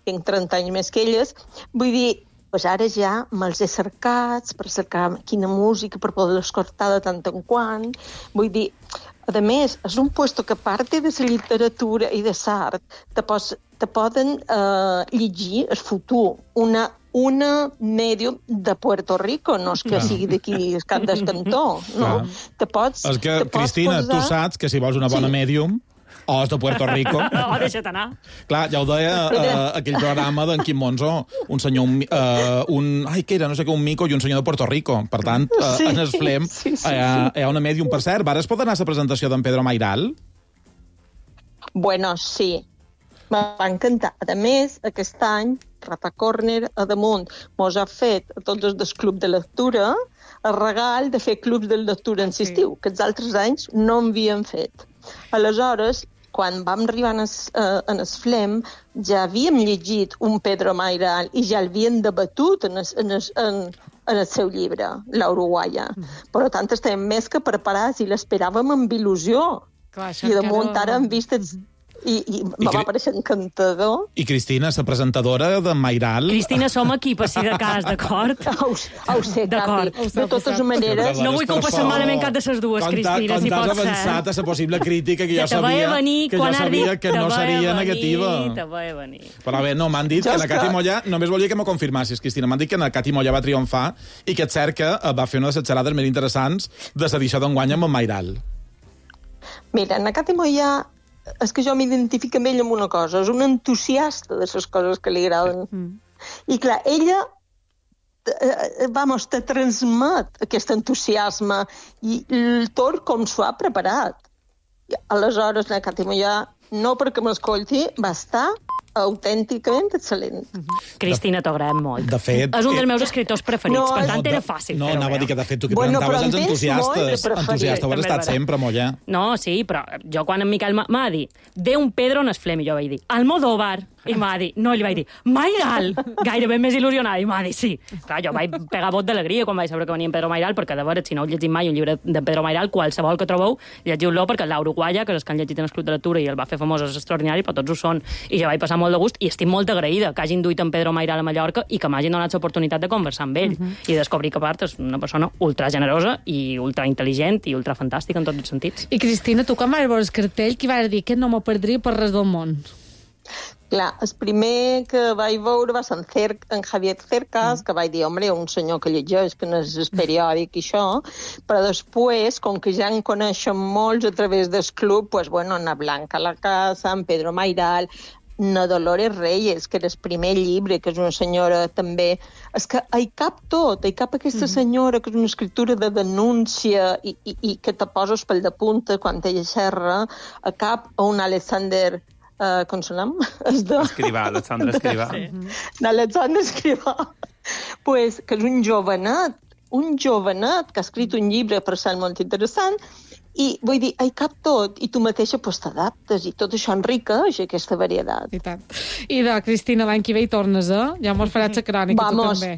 Speaker 9: tinc 30 anys més que elles. Vull dir, pues ara ja me'ls he cercats per cercar quina música, per poder escoltar de tant en quant. Vull dir, a més, és un puesto que a part de la literatura i de l'art te poden llegir el futur, una mèdium de Puerto Rico, no és que sigui d'aquí el cap del cantó, no?
Speaker 4: És que, Cristina, tu saps que si vols una bona mèdium O és de Puerto Rico.
Speaker 5: O deixa't anar.
Speaker 4: Clar, ja ho deia aquell programa d'en Quim Monzó, un senyor, què era? No sé què, un mico i un senyor de Puerto Rico. Per tant, en el Flem hi ha una mèdium. Per cert, ara es pot anar a la presentació d'en Pedro Mairal?
Speaker 9: Bueno, sí. M'ha encantat. A més, aquest any, Rata Corner, a damunt, mos ha fet a tots els del club de lectura el regal de fer clubs de lectura en l'estiu, que els altres anys no havien fet. Aleshores, quan vam arribar en el Flem, ja havíem llegit un Pedro Mairal i ja l'havien debatut en el seu llibre, La Uruguaya. Per tant, estem més que preparats i l'esperàvem amb il·lusió.
Speaker 1: Clar,
Speaker 9: I damunt ara hem vist i me va pareixer encantador.
Speaker 4: I Cristina, la presentadora de Mairal...
Speaker 5: Cristina, som aquí per si de cas, d'acord?
Speaker 9: Ho sé, Cati. De totes maneres...
Speaker 5: No vull que ho passem malament cap de les dues, Cristina, si pot ser.
Speaker 4: Com t'has avançat a la possible crítica que jo
Speaker 5: sabia
Speaker 4: que no seria negativa.
Speaker 5: Te vaig venir.
Speaker 4: Però bé, no, m'han dit que la Cati Mollà... Només volia que m'ho confirmassis, Cristina. M'han dit que la Cati Mollà va triomfar i que és cert que va fer una de les xerrades més interessants de l'edició d'enguany amb en Mairal.
Speaker 9: Mira, la Cati Mollà és que jo m'identifico amb ell amb una cosa, és un entusiasta de les coses que li agraden. I clar, ella te transmet aquest entusiasme i el tot com s'ho ha preparat. I aleshores, la Cati Mollà, no perquè m'escolti, va estar autènticament excel·lent.
Speaker 5: Cristina, t'agraem molt.
Speaker 4: De fet...
Speaker 5: És un dels meus escriptors preferits, per tant era fàcil.
Speaker 4: No, anava a dir que de fet tu que presentaves els entusiastes. Entusiasta ho has estat sempre, Mollà.
Speaker 5: No, sí, però jo quan en Miquel m'ha dit ve un Pedro en el Flem, i jo vaig dir Almodóvar, i m'ha dit, no, li vaig dir Mairal, gairebé més il·lusionada, i m'ha dit sí. Clar, jo vaig pegar vot d'alegria quan vaig saber que venia en Pedro Mairal, perquè de veure, si no heu llegit mai un llibre de Pedro Mairal, qualsevol que trobeu, llegiu-lo, perquè La Uruguaya, que és els que han llegit en el Club de Lectura i el va fer famós, és extraordinari, però tots ho són. I jo vaig passar molt de gust i estic molt agraïda que hagin duit en Pedro Mairal a Mallorca i que m'hagin donat l'oportunitat de conversar amb ell i descobrir que, a part, és una persona ultra generosa i ultra intel·ligent i ultra fantàstica en tots els sentits.
Speaker 1: I Cristina, tu quan vas veure el cartell, qui vas dir que no m'ho perdria per res del món?
Speaker 9: Clar, el primer que vaig veure va ser en Javier Cercas, que vaig dir, home, un senyor que llegeix, que no és periòdic i això, però després, com que ja en coneixen molts a través del club, pues, bueno, Ana Blanca La Casa, en Pedro Mairal, na Dolores Reyes, que era el primer llibre, que és una senyora també... És que hi cap tot, hi cap aquesta senyora que és una escriptura de denúncia i que te poses pel de punta quan ella xerra, a cap a un Alexander... com se nom?
Speaker 6: Escrivà, Alexandre Escrivà.
Speaker 9: L'Alexandre Escrivà. Pues, que és un jovenet que ha escrit un llibre per ser molt interessant, i vull dir, hi cap tot, i tu mateixa pues, t'adaptes, i tot això enriqueix aquesta varietat.
Speaker 1: I tant. I de Cristina, l'any que ve hi tornes, eh? Ja m'ho faràs la crònica, tu també.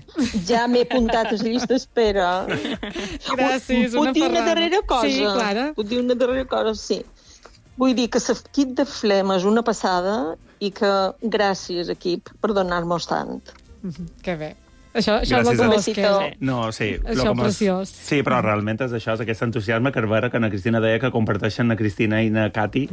Speaker 9: Ja m'he apuntat a la llista d'espera.
Speaker 1: Gràcies,
Speaker 9: una ferrada. Puc dir una darrera cosa?
Speaker 1: Sí, Clara.
Speaker 9: Puc dir una darrera cosa, sí. Vull dir que l'equip de Flem és una passada i que gràcies, equip, per donar-nos tant.
Speaker 1: Que bé. Això és el que
Speaker 6: No, sí.
Speaker 1: Això preciós.
Speaker 6: Sí, però realment és això, és aquest entusiasme que veure que na Cristina deia que comparteixen na Cristina i na Cati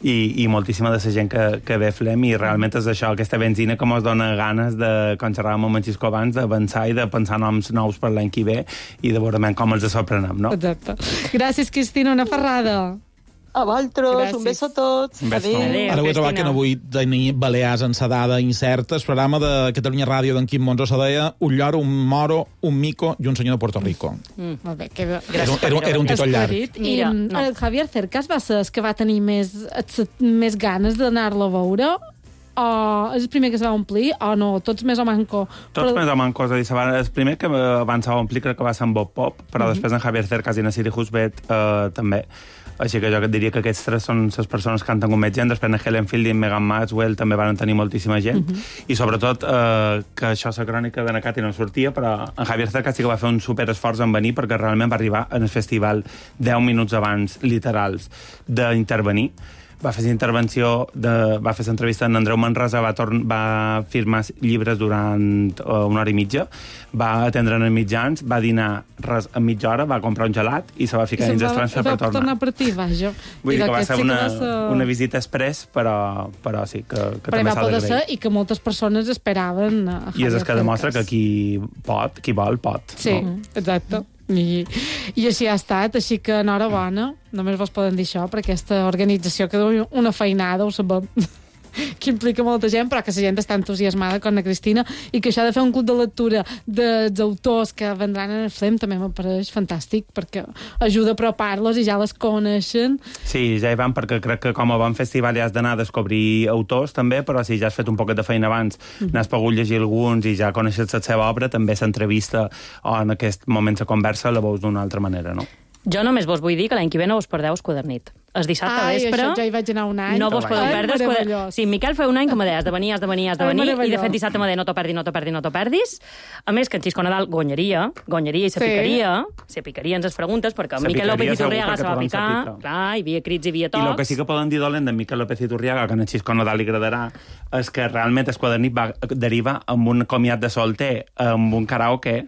Speaker 6: i moltíssima de la gent que ve Flem, i realment és això, aquesta benzina que ens dona ganes de, com xerràvem amb en Xisco abans, d'avançar i de pensar noms nous per l'any que ve i de veure com els sorprenem, no?
Speaker 1: Exacte. Gràcies, Cristina, una ferrada.
Speaker 9: A vosaltres,
Speaker 1: gràcies.
Speaker 9: Un beso a tots.
Speaker 6: Adéu.
Speaker 4: Ara ho he trobat que no vull tenir Balears en sa dada incerta. El programa de Catalunya Ràdio d'en Quim Monzó se deia un lloro, un moro, un mico i un senyor de Puerto Rico.
Speaker 1: Molt bé, que bé.
Speaker 4: Era un títol llarg.
Speaker 1: I el Javier Cercas va ser el que va tenir més ganes d'anar-lo a veure? O és el primer que se va omplir o no? Tots més o manco?
Speaker 6: Tots més o manco. És a dir, el primer que abans se va omplir crec que va ser en Bob Pop, però després en Javier Cercas i en Siri Husbet també. Així que jo et diria que aquests tres són les persones que han tingut més gent. Després en Helen Fielding, Megan Maxwell també van tenir moltíssima gent. I sobretot que això, la crònica de Nakati no sortia, però en Javier Cercas sí que va fer un superesforç en venir perquè realment va arribar en el festival 10 minuts abans, literals, d'intervenir. Va fer va fer l'entrevista amb Andreu Manresa, va firmar llibres durant una hora i mitja, va atendre en mitjans, va dinar res en mitja hora, va comprar un gelat i se va ficar dins els trens per tornar.
Speaker 1: Va tornar per ti, vaja.
Speaker 6: Vull dir que va ser una visita express, però sí, que també s'ha d'agrair.
Speaker 1: I que moltes persones esperaven.
Speaker 6: I és el que demostra que qui vol, pot.
Speaker 1: Sí, exacte. I així ha estat, així que enhorabona, només vos poden dir això, per aquesta organització que deu una feinada, ho sabem, que implica molta gent, però que la gent està entusiasmada com la Cristina, i que això de fer un club de lectura dels autors que vendran en el FLEM també m'apareix fantàstic, perquè ajuda a apropar-los i ja les coneixen.
Speaker 6: Sí, ja hi van, perquè crec que com a bon festival ja has d'anar a descobrir autors també, però si ja has fet un poquet de feina abans, n'has pogut llegir alguns i ja coneixes la seva obra, també s'entrevista o en aquest moment la conversa la veus d'una altra manera, no?
Speaker 5: Jo només vos vull dir que l'any que ve no vos perdeu Esquadernit. El dissabte vespre...
Speaker 1: Ai, això ja hi vaig anar un any.
Speaker 5: No vos podeu perdre
Speaker 1: Esquadernit.
Speaker 5: Sí, Miquel fa un any que me deia, has de venir, i de fet dissabte me deia, no t'ho perdis. A més, que en Xisco Nadal guanyaria i se picaria ens les preguntes, perquè Miquel López Iturriaga se va picar, clar, hi havia crits, hi havia tocs.
Speaker 6: I el que sí que poden dir dolent de Miquel López Iturriaga, que a en Xisco Nadal li agradarà, és que realment Esquadernit va derivar amb un comiat de solter, amb un karaoke,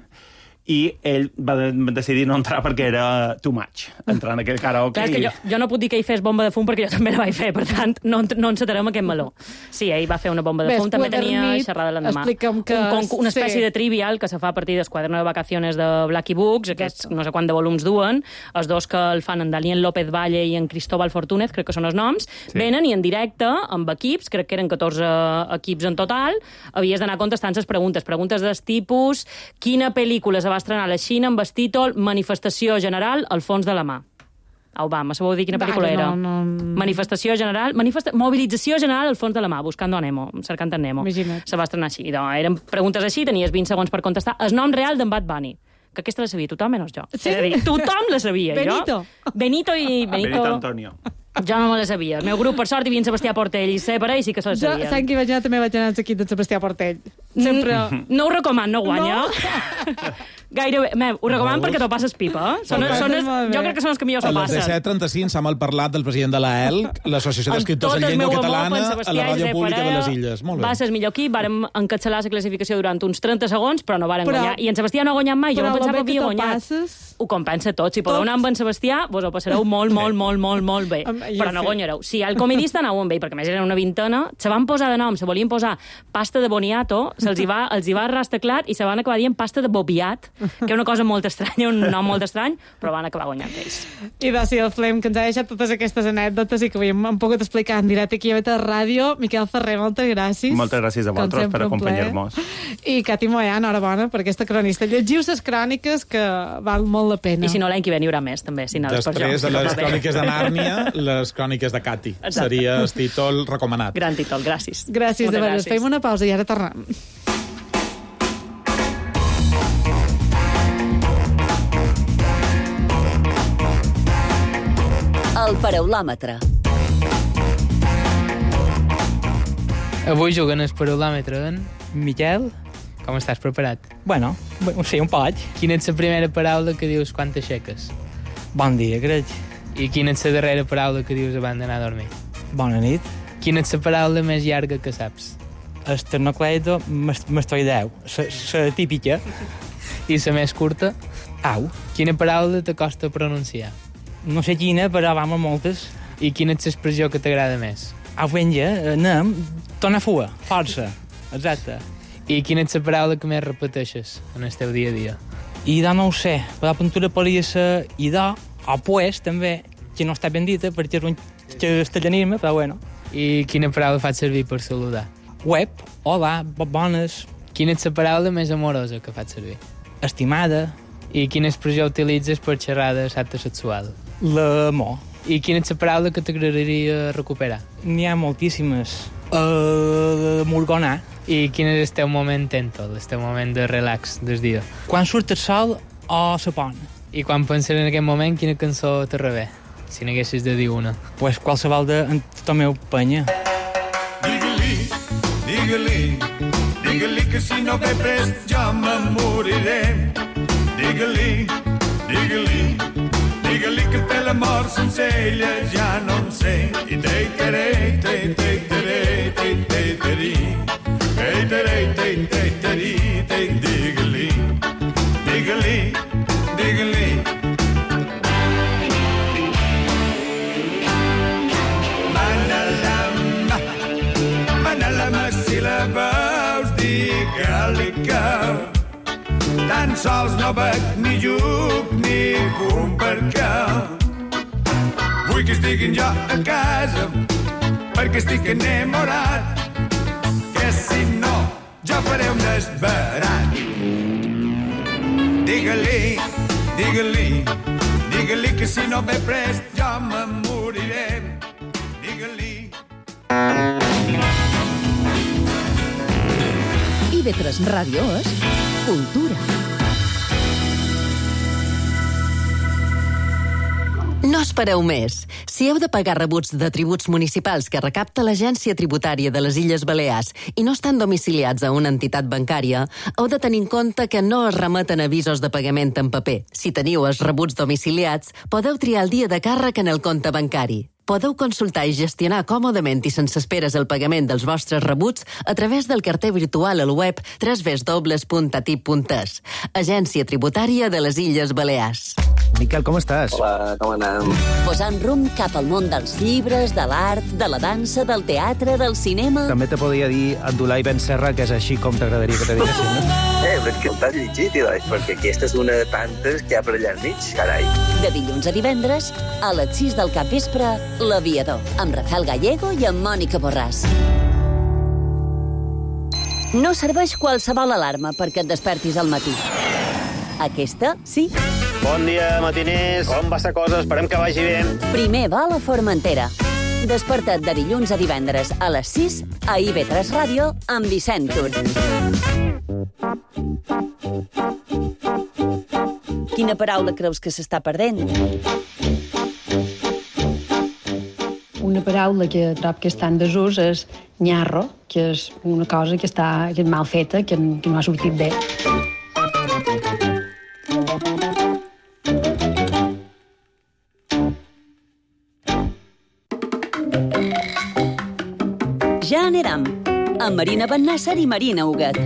Speaker 6: i ell va decidir no entrar perquè era too much, entrar en aquell karaoke.
Speaker 5: Clar, és que jo no puc dir que ell fes bomba de fum perquè jo també la vaig fer, per tant, no encetarem aquest meló. Sí, ell va fer una bomba de fum, també tenia xerrada l'endemà. Una espècie de trivial que se fa a partir del Quaderno de Vacaciones de Blacky Books, aquests no sé quant de volums duen, els dos que el fan en Daniel López Valle i en Cristóbal Fortúnez, crec que són els noms, venen i en directe, amb equips, crec que eren 14 equips en total, havies d'anar contestant les preguntes del tipus, quina pel·lícula va estrenar a la Xina amb el títol Manifestació General al fons de la mà. Au, va, me sabeu dir quina pel·lícula era? Manifestació General... Mobilització General al fons de la mà, buscant Nemo, cercant en Nemo.
Speaker 1: Imagina't.
Speaker 5: Se va estrenar així. Eren preguntes així, tenies 20 segons per contestar. El nom real d'en Bad Bunny, que aquesta la sabia tothom menys jo.
Speaker 1: Sí?
Speaker 5: És a dir, tothom la sabia. Benito
Speaker 6: Antonio.
Speaker 5: Jo no me la sabia. El meu grup, per sort, hi havia en Sebastià Portell i Separa, i sí que se la sabien.
Speaker 1: Jo, Sant que vaig anar, també vaig anar als equips de Sebastià Portell. Sempre...
Speaker 5: No ho recomano, no guanya. Gairebé. Ho recomano perquè t'ho passes pipa. Jo crec que són els que millor s'ho passen.
Speaker 4: A les 17:35 s'ha malparlat del president de l'AELC, l'Associació d'Escriptors en Llengua Catalana, a la Ràdio Pública de les Illes. Molt bé.
Speaker 5: Va ser el millor equip, vàrem encapçalar la classificació durant uns 30 segons, però no vàrem guanyar. I en Sebastià no ha guanyat mai, jo no pensava que havia guanyat. Ho compensa tot. Si podeu anar amb en Sebastià, vos ho passareu molt bé. Però no guanyareu. Si el comedista anau amb ell, perquè més eren una vintena, se van posar de nom, se volien posar pasta de boniato, els hi va rastar clar i se van acabar dient pasta de bobiat, que és una cosa molt estranya, un nom molt estrany, però van acabar guanyant ells.
Speaker 1: I de si el Flem, que ens ha deixat totes aquestes anècdotes i que hem pogut explicar en directe aquí a Beta Ràdio. Miquel Ferrer, moltes gràcies.
Speaker 6: Moltes gràcies a vosaltres per acompanyar-nos.
Speaker 1: I Cati Moyà, enhorabona per aquesta cronista. Llegiu les cròniques, que val molt la pena.
Speaker 5: I si no, l'any que ve n'hi haurà més, també.
Speaker 4: Després de les cròniques de Nàrnia, les cròniques de Cati. Seria el títol recomanat.
Speaker 5: Gran títol, gràcies.
Speaker 1: Gràcies, de veres. Fem una pausa i ara tornem.
Speaker 2: El paraulòmetre.
Speaker 10: Avui juguen el paraulòmetre en Miquel. Com estàs preparat?
Speaker 11: Bueno, sí, un poc.
Speaker 10: Quina és la primera paraula que dius quan t'aixeques?
Speaker 11: Bon dia, crec.
Speaker 10: I quina és la darrera paraula que dius abans d'anar a dormir?
Speaker 11: Bona nit.
Speaker 10: Quina és la paraula més llarga que saps?
Speaker 11: Esternocleido mastoideu. La típica.
Speaker 10: I la més curta?
Speaker 11: Au.
Speaker 10: Quina paraula t'acosta a pronunciar?
Speaker 11: No sé quina, però vamos moltes.
Speaker 10: I quina és l'expressió que t'agrada més?
Speaker 11: Au, venja, anem, torna a fuga, força. Exacte.
Speaker 10: I quina és la paraula que més repeteixes en el teu dia a dia?
Speaker 11: Idò no ho sé, però la pintura podria ser idò, o pues, també, que no està ben dita, perquè és un castellanisme, però bueno.
Speaker 10: I quina paraula faig servir per saludar?
Speaker 11: Web, hola, bones.
Speaker 10: Quina és la paraula més amorosa que faig servir?
Speaker 11: Estimada.
Speaker 10: I quina expressió utilitzes per xerrar de l'acte sexual?
Speaker 11: L'amor.
Speaker 10: I quina és la paraula que t'agradaria recuperar?
Speaker 11: N'hi ha moltíssimes. Morgonar.
Speaker 10: I quin és el teu moment tèntol, el teu moment de relax del dia?
Speaker 11: Quan surt el sol o la pont.
Speaker 10: I quan penses en aquest moment, quina cançó te rebé? Si n'haguessis de dir una.
Speaker 11: Pues qualsevol de Tomeu Penya.
Speaker 12: Digue-li, digue-li, digue-li que si no ve prest jo me moriré. Digue-li, digue-li, digue-li que fer l'amor sense ella ja no en sé. I te-i-te-re, te-i-te-re, te-i-te-re, te-i-te-re, te-i-te-re, digue-li, digue-li, digue-li. Manalama si la veus, digue-li que Tan sols no bec ni lluc ni fum perquè vull que estiguin jo a casa perquè estic enamorat, que si no jo faré un desbarat. Digue-li, digue-li, digue-li que si no ve prest jo me moriré. Digue-li.
Speaker 2: IB3 Ràdio és cultura. No espereu més. Si heu de pagar rebuts de tributs municipals que recapta l'Agència Tributària de les Illes Balears i no estan domiciliats a una entitat bancària, heu de tenir en compte que no es remeten avisos de pagament en paper. Si teniu els rebuts domiciliats, podeu triar el dia de càrrec en el compte bancari. Podeu consultar i gestionar còmodament i sense esperes el pagament dels vostres rebuts a través del carter virtual al web www.atip.es. Agència Tributària de les Illes Balears.
Speaker 13: Miquel, com estàs?
Speaker 14: Hola, com anem?
Speaker 2: Posant rumb cap al món dels llibres, de l'art, de la dansa, del teatre, del cinema...
Speaker 13: També te podia dir Abdulai Ben Serra, que és així com t'agradaria que te diguessin, no?
Speaker 14: Perquè ho t'has llegit, perquè aquesta és una de tantes que hi ha per allà al mig, carai.
Speaker 2: De dilluns a divendres, a les 6 del capvespre, L'Aviador, amb Rafael Gallego i amb Mònica Borràs. No serveix qualsevol alarma perquè et despertis al matí. Aquesta, sí.
Speaker 15: Bon dia, matiners. Com va la cosa? Esperem que vagi bé.
Speaker 2: Primer vol a Formentera. Desperta't de dilluns a divendres a les 6 a IB3 Ràdio amb Vicent Tur. Quina paraula creus que s'està perdent?
Speaker 16: Una paraula que trob que està en desús és nyarro, que és una cosa que és mal feta, que no ha sortit bé.
Speaker 2: Ja anirem, amb Marina Bennàsser i Marina Huguet.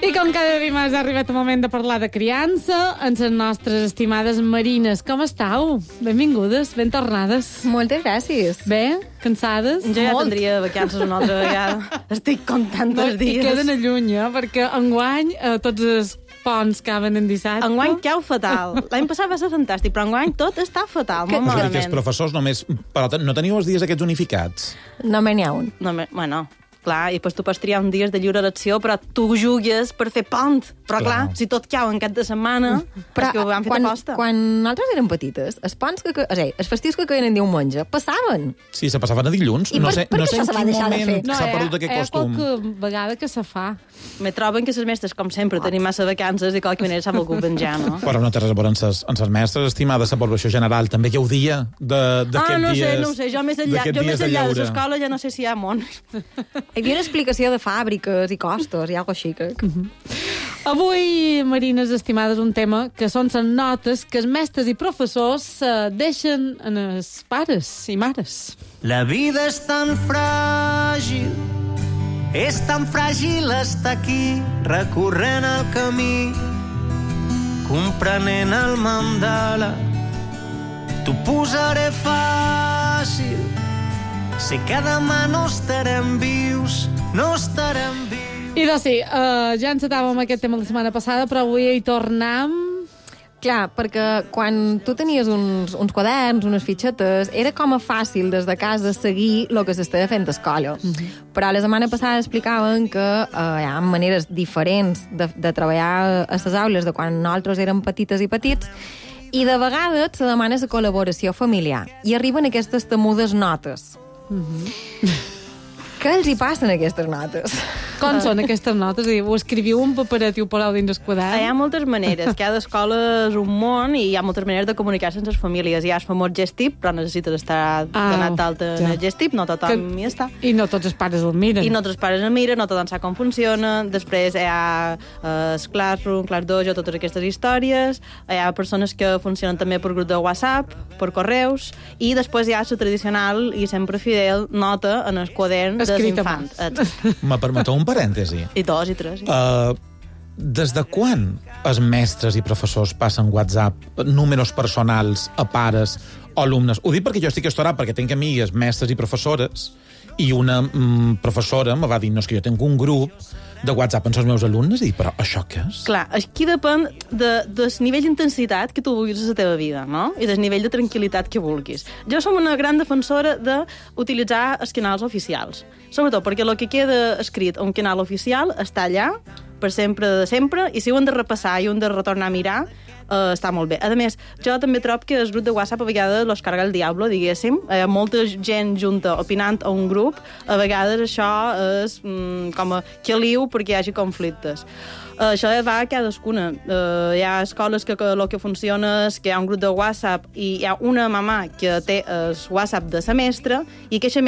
Speaker 1: I com cada dimarts ha arribat el moment de parlar de criança amb les nostres estimades marines. Com estàu? Benvingudes, ben tornades.
Speaker 17: Moltes gràcies.
Speaker 1: Bé? Cansades?
Speaker 17: Jo ja tindria vacances una altra vegada. Estic comptant els dies.
Speaker 1: I queden a lluny, perquè enguany tots els ponts caben en dissabte.
Speaker 17: Enguany cau fatal. L'any passat va ser fantàstic, però enguany tot està fatal, molt malament.
Speaker 4: Que els professors només... Però no teniu els dies aquests unificats?
Speaker 17: Només n'hi ha un. Bueno, clar, i després tu pots triar un dies de lliure elecció, però tu jugues per fer pont. Però clar, si tot cau en cap de setmana, però que ho han fet aposta.
Speaker 18: Quan nosaltres érem petites, els ponts els festius que caien en diumenge passaven.
Speaker 4: Sí, se passaven a dilluns.
Speaker 18: I per què se va deixar de fer?
Speaker 4: S'ha perdut aquest costum.
Speaker 1: Qualque vegada que se fa.
Speaker 17: Me troben que les mestres, com sempre, tenim massa vacances i qualque manera s'ha volgut venjar, no?
Speaker 4: Però no té res a veure amb les mestres, estimades, la població general. També gaudia d'aquest dies...
Speaker 17: No sé, jo més enllà de l'escola ja no sé si hi ha món.
Speaker 18: Hi havia una explicació de fàbriques i costos i alguna cosa així.
Speaker 1: Avui, marines estimades, un tema que són les notes que els mestres i professors deixen en els pares i mares.
Speaker 19: La vida és tan fràgil estar aquí, recorrent el camí, comprenent el mandala. T'ho posaré fàcil, sé que demà no estarem vius.
Speaker 1: I doncs sí, ja encetàvem aquest tema la setmana passada, però avui hi tornem.
Speaker 18: Clar, perquè quan tu tenies uns quaderns, unes fitxetes, era com a fàcil des de casa seguir el que s'estava fent a escola. Però la setmana passada explicaven que hi ha maneres diferents de treballar a les aules de quan nosaltres érem petites i petits, i de vegades se demana la col·laboració familiar. I arriben aquestes temudes notes. Què els hi passen aquestes notes?
Speaker 1: Com són aquestes notes? Ho escriviu un paperet i ho poseu dins el quadern?
Speaker 17: Hi ha moltes maneres. Cada escola és un món i hi ha moltes maneres de comunicar-se amb les famílies. Hi ha el famós gestip, però necessites estar donat d'alta en el gestip, no tothom hi està.
Speaker 1: I no tots els pares el miren.
Speaker 17: I no tots els pares el miren, no tothom sap com funciona. Després hi ha el Classroom, Classdojo, totes aquestes històries. Hi ha persones que funcionen també per grup de WhatsApp, per correus, i després hi ha la tradicional i sempre fidel nota en el quadern dels infants.
Speaker 4: Me permeteu un parèntesi?
Speaker 17: I dos i tres.
Speaker 4: des de quan els mestres i professors passen WhatsApp, números personals a pares o alumnes? Ho dic perquè jo estic estorat, perquè tinc amigues mestres i professores, i una professora me va dir, no, és que jo tinc un grup de WhatsApp amb els meus alumnes, i dic, però això què és?
Speaker 17: Clar, aquí depèn del nivell d'intensitat que tu vulguis a la teva vida, no? I del nivell de tranquil·litat que vulguis. Jo som una gran defensora d'utilitzar els canals oficials, sobretot perquè el que queda escrit a un canal oficial està allà per sempre de sempre, i si ho hem de repassar i ho hem de retornar a mirar, està molt bé. A més, jo també trobo que el grup de WhatsApp a vegades los carga el diablo, diguéssim. Hi ha molta gent junta opinant a un grup, a vegades això és com a caliu perquè hi hagi conflictes. Això va a cadascuna. Hi ha escoles que el que funciona és que hi ha un grup de WhatsApp i hi ha una mamà que té el WhatsApp de la mestra, i aquesta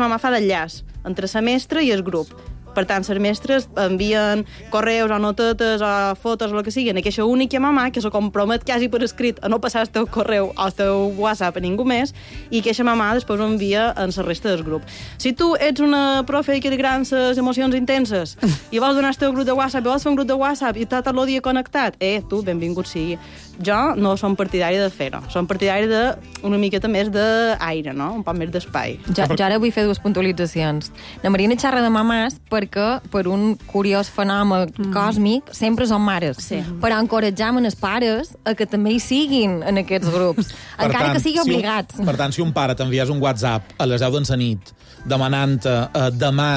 Speaker 17: mamà fa d'enllaç entre la mestra i el grup. Per tant, les mestres envien correus o notetes o fotos o el que sigui a aquesta única mamà que se compromet quasi per escrit a no passar el teu correu o el teu WhatsApp a ningú més, i aquesta mamà després ho envia en la resta del grup. Si tu ets una profe que li agraden les emocions intenses i vols donar el teu grup de WhatsApp i vols fer un grup de WhatsApp i tot el dia connectat, tu, benvingut sigui. Jo no som partidari de fer-ho. Som partidari d'una miqueta més d'aire, no? Un poc més d'espai.
Speaker 18: Jo ara vull fer dues puntualitzacions. La Marina xerra de mamàs perquè, per un curiós fenomen còsmic, sempre són mares. Sí. Però encoratjam els pares a que també hi siguin en aquests grups, encara que sigui obligats.
Speaker 4: Per tant, si un pare t'envies un WhatsApp a les 10 de la nit demanant-te demà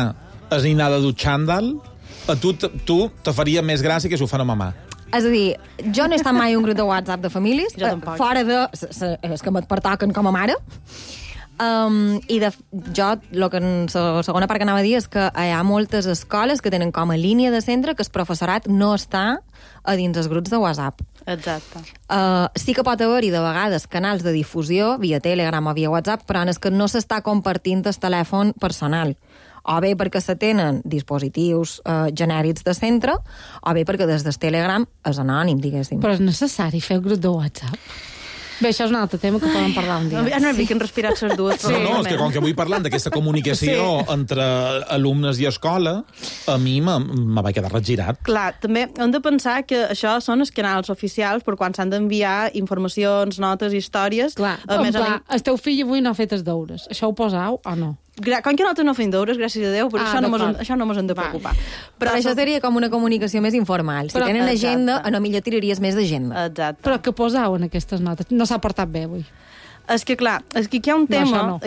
Speaker 4: es dinar de dutxandal, a tu te faria més gràcia que si ho fa una mamà.
Speaker 18: És a dir, jo no he estat mai un grup de WhatsApp de famílies, fora de els que me pertoquen com a mare. Jo, la segona part que anava a dir és que hi ha moltes escoles que tenen com a línia de centre que el professorat no està a dins els grups de WhatsApp.
Speaker 17: Exacte.
Speaker 18: Sí que pot haver-hi de vegades canals de difusió via Telegram o via WhatsApp, però és que no s'està compartint el telèfon personal. O bé perquè se tenen dispositius genèrics de centre, o bé perquè des del Telegram és anònim, diguéssim.
Speaker 1: Però és necessari fer el grup de WhatsApp? Bé, això és un altre tema que podem parlar un dia.
Speaker 17: Ja no he que respirat les dues.
Speaker 4: Sí. No, és que com que vull parlar d'aquesta comunicació entre alumnes i escola, a mi me va quedar regirat.
Speaker 17: Clar, també hem de pensar que això són els canals oficials per quan s'han d'enviar informacions, notes, històries.
Speaker 1: Clar, el teu fill avui no ha fet els deures. Això ho posau o no?
Speaker 17: Com que nosaltres no fem deures, gràcies a Déu, però això no ens hem de preocupar.
Speaker 18: Però això seria com una comunicació més informal. Si tenen agenda, a no millor tiraries més d'agenda.
Speaker 17: Exacte.
Speaker 1: Però què posau en aquestes notes? No s'ha portat bé avui.
Speaker 17: És que, clar, aquí hi ha un tema...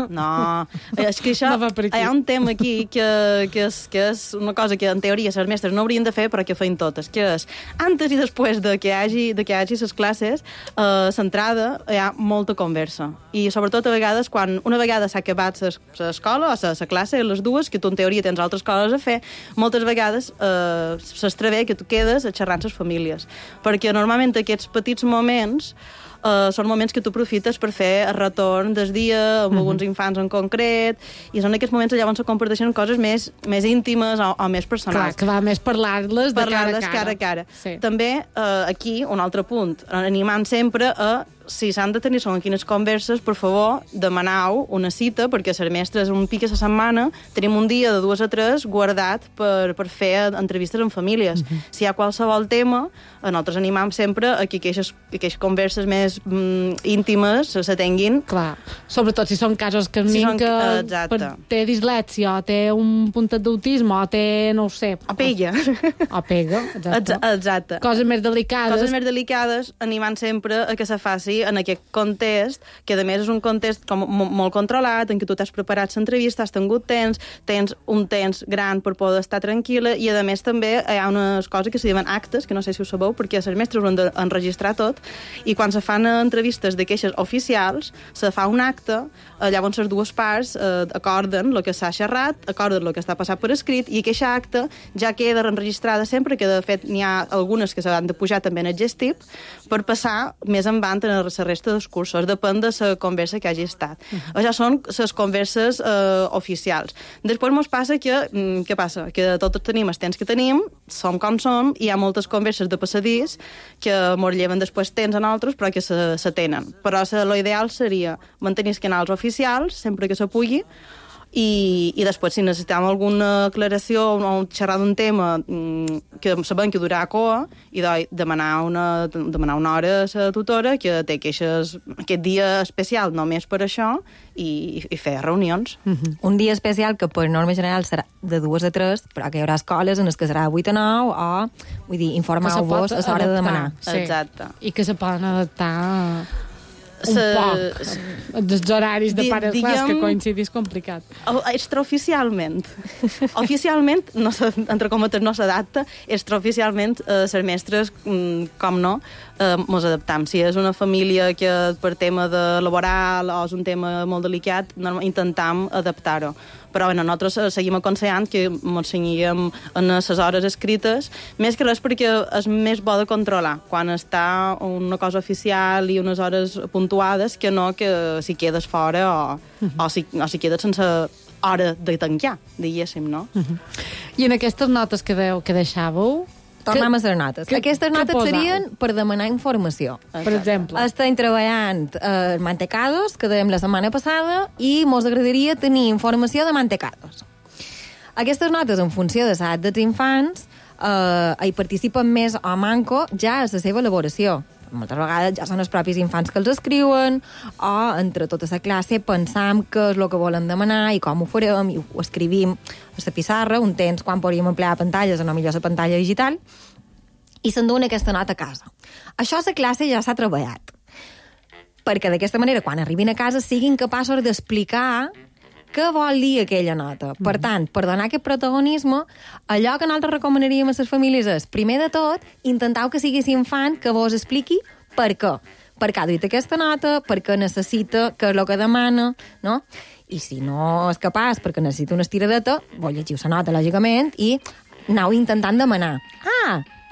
Speaker 17: No. És que això... Hi ha un tema aquí que és una cosa que, en teoria, les mestres no haurien de fer, però que feien totes, que és, antes i després de que hi hagi les classes, l'entrada, hi ha molta conversa. I, sobretot, a vegades, quan una vegada s'ha acabat l'escola o la classe, les dues, que tu, en teoria, tens altres coses a fer, moltes vegades s'estrvé que tu quedes a xerrar amb les famílies. Perquè, normalment, aquests petits moments són moments que tu aprofites per fer el retorn del dia amb alguns infants en concret, i són aquests moments llavors se comparteixen coses més íntimes o més personals.
Speaker 1: Clar, que va més parlar-les de cara a cara.
Speaker 17: Sí. També, aquí, un altre punt, animant sempre a, si s'han de tenir segons quines converses, per favor, demaneu una cita, perquè les mestres un pic a la setmana tenim un dia de 2 a 3 guardat per fer entrevistes amb famílies. Si hi ha qualsevol tema, nosaltres animam sempre a que aquestes converses més íntimes se tinguin.
Speaker 1: Clar, sobretot si són casos que té dislèxia, o té un puntet d'autisme, o té, no ho sé...
Speaker 17: O pega. Exacte.
Speaker 1: Coses més delicades.
Speaker 17: Animant sempre a que se faci en aquest context, que a més és un context com molt controlat, en què tu t'has preparat l'entrevista, has tingut temps, tens un temps gran per poder estar tranquil·la, i a més també hi ha unes coses que se diuen actes, que no sé si ho sabeu, perquè els mestres ho han d'enregistrar tot, i quan se fan entrevistes de queixes oficials, se fa un acte, llavors les dues parts acorden el que s'ha xerrat, acorden el que està passat per escrit, i aquesta acte ja queda enregistrada sempre, que de fet n'hi ha algunes que s'han de pujar també en el gestip, per passar més endavant en la resta dels cursos, depèn de la conversa que hagi estat. Això són les converses oficials. Després ens passa que, què passa? Que tots tenim els temps que tenim, som com som, i hi ha moltes converses de passadís que mos lleven després temps a nosaltres, però que se tenen. Però l'ideal seria mantenir els canals oficials, sempre que se pugui, i després, si necessitem alguna aclaració o xerrar d'un tema que sabem que durarà coa, i demanar una hora a la tutora que té aquest dia especial només per això i fer reunions.
Speaker 18: Un dia especial que per norma general serà de 2 a 3, però que hi haurà escoles en les que serà 8 a 9 o, vull dir, informeu-vos a l'hora de demanar.
Speaker 1: Sí.
Speaker 17: Exacte.
Speaker 1: I que se poden adaptar un poc dels horaris de pares clars, que coincidís complicat.
Speaker 17: Extraoficialment, no, entre cometes, no s'adapta, extraoficialment les mestres, com no, mos adaptam. Si és una família que per tema de laboral o és un tema molt delicat, intentam adaptar-ho. Però bueno, nosaltres seguim aconsellant que ens cenyíem en les hores escrites, més que res perquè és més bo de controlar quan està una cosa oficial i unes hores puntuades que no que si quedes fora o si quedes sense hora de tancar, diguéssim, no?
Speaker 1: I en aquestes notes que deixàveu...
Speaker 18: Tornem a les notes. Aquestes notes serien per demanar informació.
Speaker 1: Per exemple.
Speaker 18: Estem treballant mantecados, que dèiem la setmana passada, i mos agradaria tenir informació de mantecados. Aquestes notes, en funció de l'edat dels infants, hi participen més o manco ja a la seva elaboració. Moltes vegades ja són els propis infants que els escriuen, o entre tota la classe pensam què és el que volen demanar i com ho farem, i ho escrivim a la pissarra, un temps quan podríem emplear pantalles, o no millor la pantalla digital, i s'enduen aquesta nota a casa. Això a la classe ja s'ha treballat, perquè d'aquesta manera, quan arribin a casa, siguin capaços d'explicar què vol dir aquella nota. Per tant, per donar aquest protagonisme, allò que nosaltres recomanaríem a les famílies és, primer de tot, intentau que sigui l'infant que vos expliqui per què. Per què ha duit aquesta nota, per què necessita, què és el que demana, no? I si no és capaç, perquè necessita una estiradeta, vos llegiu la nota, lògicament, i anau intentant demanar.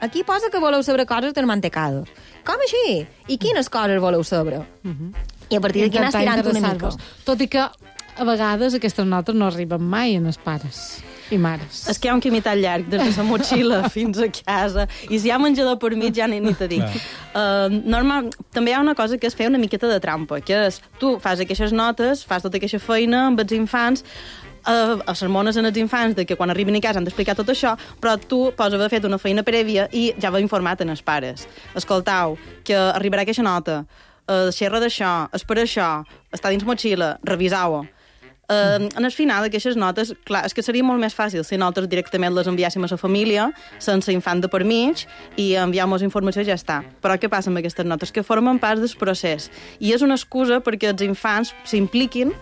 Speaker 18: Aquí posa que voleu saber coses dels mantecados. Com així? I quines coses voleu saber? I a partir d'aquí anar estirant una mica.
Speaker 1: Tot i que a vegades aquestes notes no arriben mai en els pares i mares.
Speaker 17: És que hi ha un camí tan llarg des de la motxilla fins a casa, i si hi ha menjador per mig ja ni te dic. Normal, també hi ha una cosa que és fer una miqueta de trampa, que és, tu fas aquestes notes, fas tota aquesta feina amb els infants, sermones en els infants de que quan arribin a casa han d'explicar tot això, però tu pots haver fet una feina prèvia i ja va informat en els pares. Escoltau, que arribarà aquesta nota, xerra d'això, és per això, està dins motxilla, revisau-ho. En el final d'aquestes notes, clar, és que seria molt més fàcil si nosaltres directament les enviàssim a la família, sense infant de per mig, i enviam-nos informació i ja està. Però què passa amb aquestes notes? Que formen part del procés. I és una excusa perquè els infants s'impliquin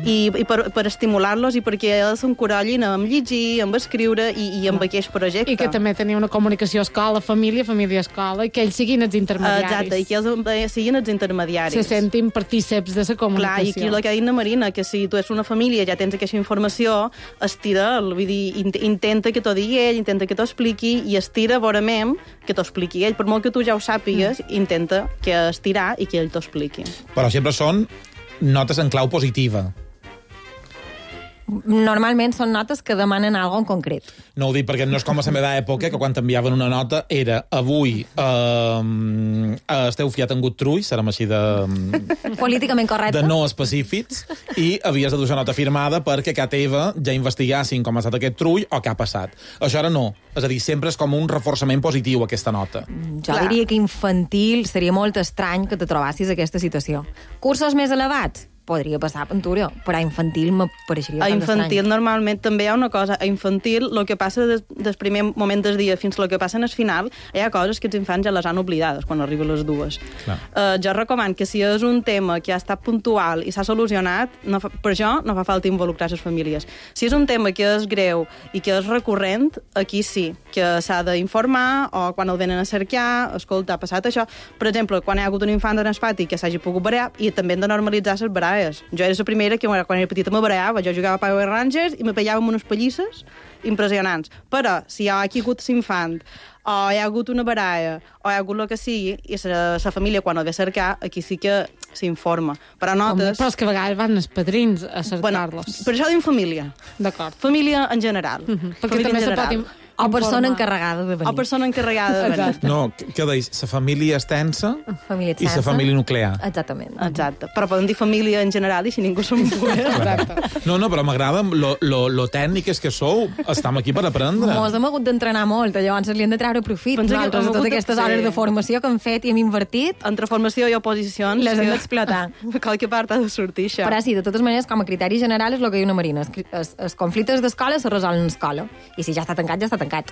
Speaker 17: i per estimular-los i perquè ells s'encorallin amb llegir, amb escriure i amb aquest projecte.
Speaker 1: I que també tenia una comunicació escola-família, família-escola, i que ells siguin els intermediaris.
Speaker 17: Exacte, i que ells siguin els intermediaris.
Speaker 1: Se sentin partíceps de la comunicació.
Speaker 17: Clar, i aquí el que ha dit na Marina, que si tu ets una família ja tens aquesta informació, estira, vull dir, intenta que t'ho digui ell, intenta que t'ho expliqui, i estira vorament que t'ho expliqui ell. Per molt que tu ja ho sàpigues, intenta que estirar i que ell t'ho expliqui.
Speaker 4: Però sempre són notes en clau positiva.
Speaker 18: Normalment són notes que demanen alguna en concret.
Speaker 4: No ho dic perquè no és com a la meva època, que quan t'enviaven una nota era avui esteu fiat en gut trull, serem així de...
Speaker 18: Políticament correcte.
Speaker 4: De no específics, i havies de deixar nota firmada perquè a casa teva ja investigassin com ha estat aquest trull o què ha passat. Això ara no. És a dir, sempre és com un reforçament positiu aquesta nota.
Speaker 18: Jo diria que infantil seria molt estrany que te trobassis aquesta situació. Cursos més elevats? Podria passar pintura, però a infantil m'apareixeria bastant estrany.
Speaker 17: A infantil normalment també hi ha una cosa. A infantil, el que passa des primer moment del dia fins al que passa en el final, hi ha coses que els infants ja les han oblidades quan arriben les dues. Jo recomano que si és un tema que ha estat puntual i s'ha solucionat, per això no fa falta involucrar les famílies. Si és un tema que és greu i que és recurrent, aquí sí, que s'ha d'informar, o quan el venen a cercar, escolta, ha passat això. Per exemple, quan hi ha hagut un infant en el pati que s'hagi pogut barallar, i també hem de normalitzar les baralles. Jo era la primera que, quan era petita, me barallava. Jo jugava a Power Rangers i me pellava amb unes pallisses impressionants. Però si hi ha hagut l'infant, o hi ha hagut una baralla, o hi ha hagut el que sigui, i la família, quan el ve a cercar, aquí sí que s'informa. Però notes...
Speaker 1: Però és que a vegades van els padrins a cercar-los.
Speaker 17: Per això dic família.
Speaker 1: D'acord.
Speaker 17: Família en general.
Speaker 1: Perquè també se pot
Speaker 18: O persona encarregada de venir.
Speaker 17: O persona encarregada de venir.
Speaker 4: No, què deis? La família extensa
Speaker 18: Família
Speaker 4: i la família nuclear.
Speaker 18: Exactament.
Speaker 17: Exacte. Però podem dir família en general i si ningú se'n
Speaker 1: Exacte.
Speaker 4: No, però m'agrada lo tècniques que sou. Estem aquí per aprendre.
Speaker 18: Mos hem hagut d'entrenar molt, llavors li hem de treure profit.
Speaker 17: Pensa que
Speaker 18: Nosaltres,
Speaker 17: hem
Speaker 18: de totes
Speaker 17: hagut de-
Speaker 18: aquestes
Speaker 17: sí.
Speaker 18: hores de formació que hem fet i hem invertit,
Speaker 17: entre formació i oposicions...
Speaker 18: les hem d'explotar.
Speaker 17: Qualque part ha de sortir, això.
Speaker 18: Però sí, de totes maneres, com a criteri general és el que diu una Marina. Els conflictes d'escola se resolen en escola. I si ja està tancat, ja està tancat.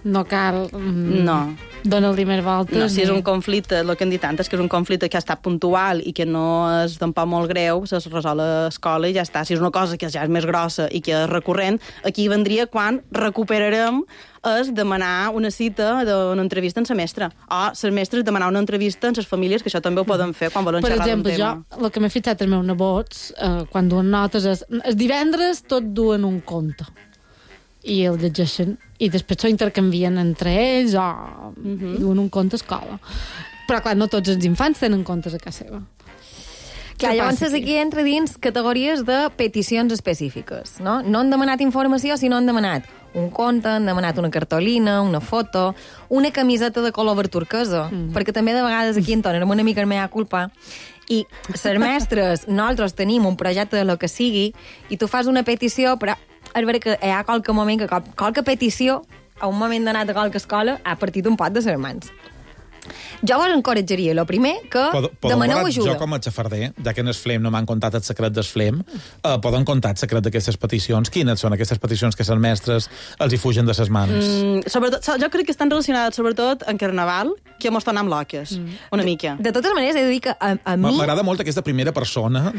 Speaker 1: No cal...
Speaker 17: No.
Speaker 1: Donar-li més voltes.
Speaker 17: No, si és un conflicte, el que hem dit antes, que és un conflicte que ha estat puntual i que no és tampoc molt greu, es resol a l'escola i ja està. Si és una cosa que ja és més grossa i que és recurrent, aquí vendria quan recuperarem és demanar una cita d'una entrevista en semestre. O les mestres demanar una entrevista en les famílies, que això també ho poden fer quan volen
Speaker 1: Per
Speaker 17: xerrar d'un
Speaker 1: exemple,
Speaker 17: tema.
Speaker 1: jo, el que m'he fixat els meus nebots, quan duen notes, és el divendres tot duen un conte. I el llegeixen. I després s'ho intercanvien entre ells o duen un conte a escola. Però, clar, no tots els infants tenen contes a casa seva.
Speaker 18: Clar,
Speaker 1: Què
Speaker 18: llavors
Speaker 1: passa
Speaker 18: aquí entra dins categories de peticions específiques, no? No han demanat informació, sinó han demanat un conte, han demanat una cartolina, una foto, una camiseta de color verd turquesa, perquè també de vegades aquí entonem una mica el mea culpa, i les mestres, nosaltres tenim un projecte de lo que sigui, i tu fas una petició, però és vera que hi ha qualque moment que qualque petició, a un moment donat a qualque escola, ha partit un pot de les mans. Jo vos encoratjaria, el primer, que demaneu ajuda.
Speaker 4: Jo com a xafarder, ja que en el FLEM no m'han contat el secret del FLEM, poden contar el secret d'aquestes peticions. Quines són aquestes peticions que les mestres els hi fugen de les mans?
Speaker 17: Sobretot, jo crec que estan relacionades sobretot en Carnaval, que mos tornem loques, una mica.
Speaker 18: De totes maneres, he de dir que a mi...
Speaker 4: M'agrada molt aquesta primera persona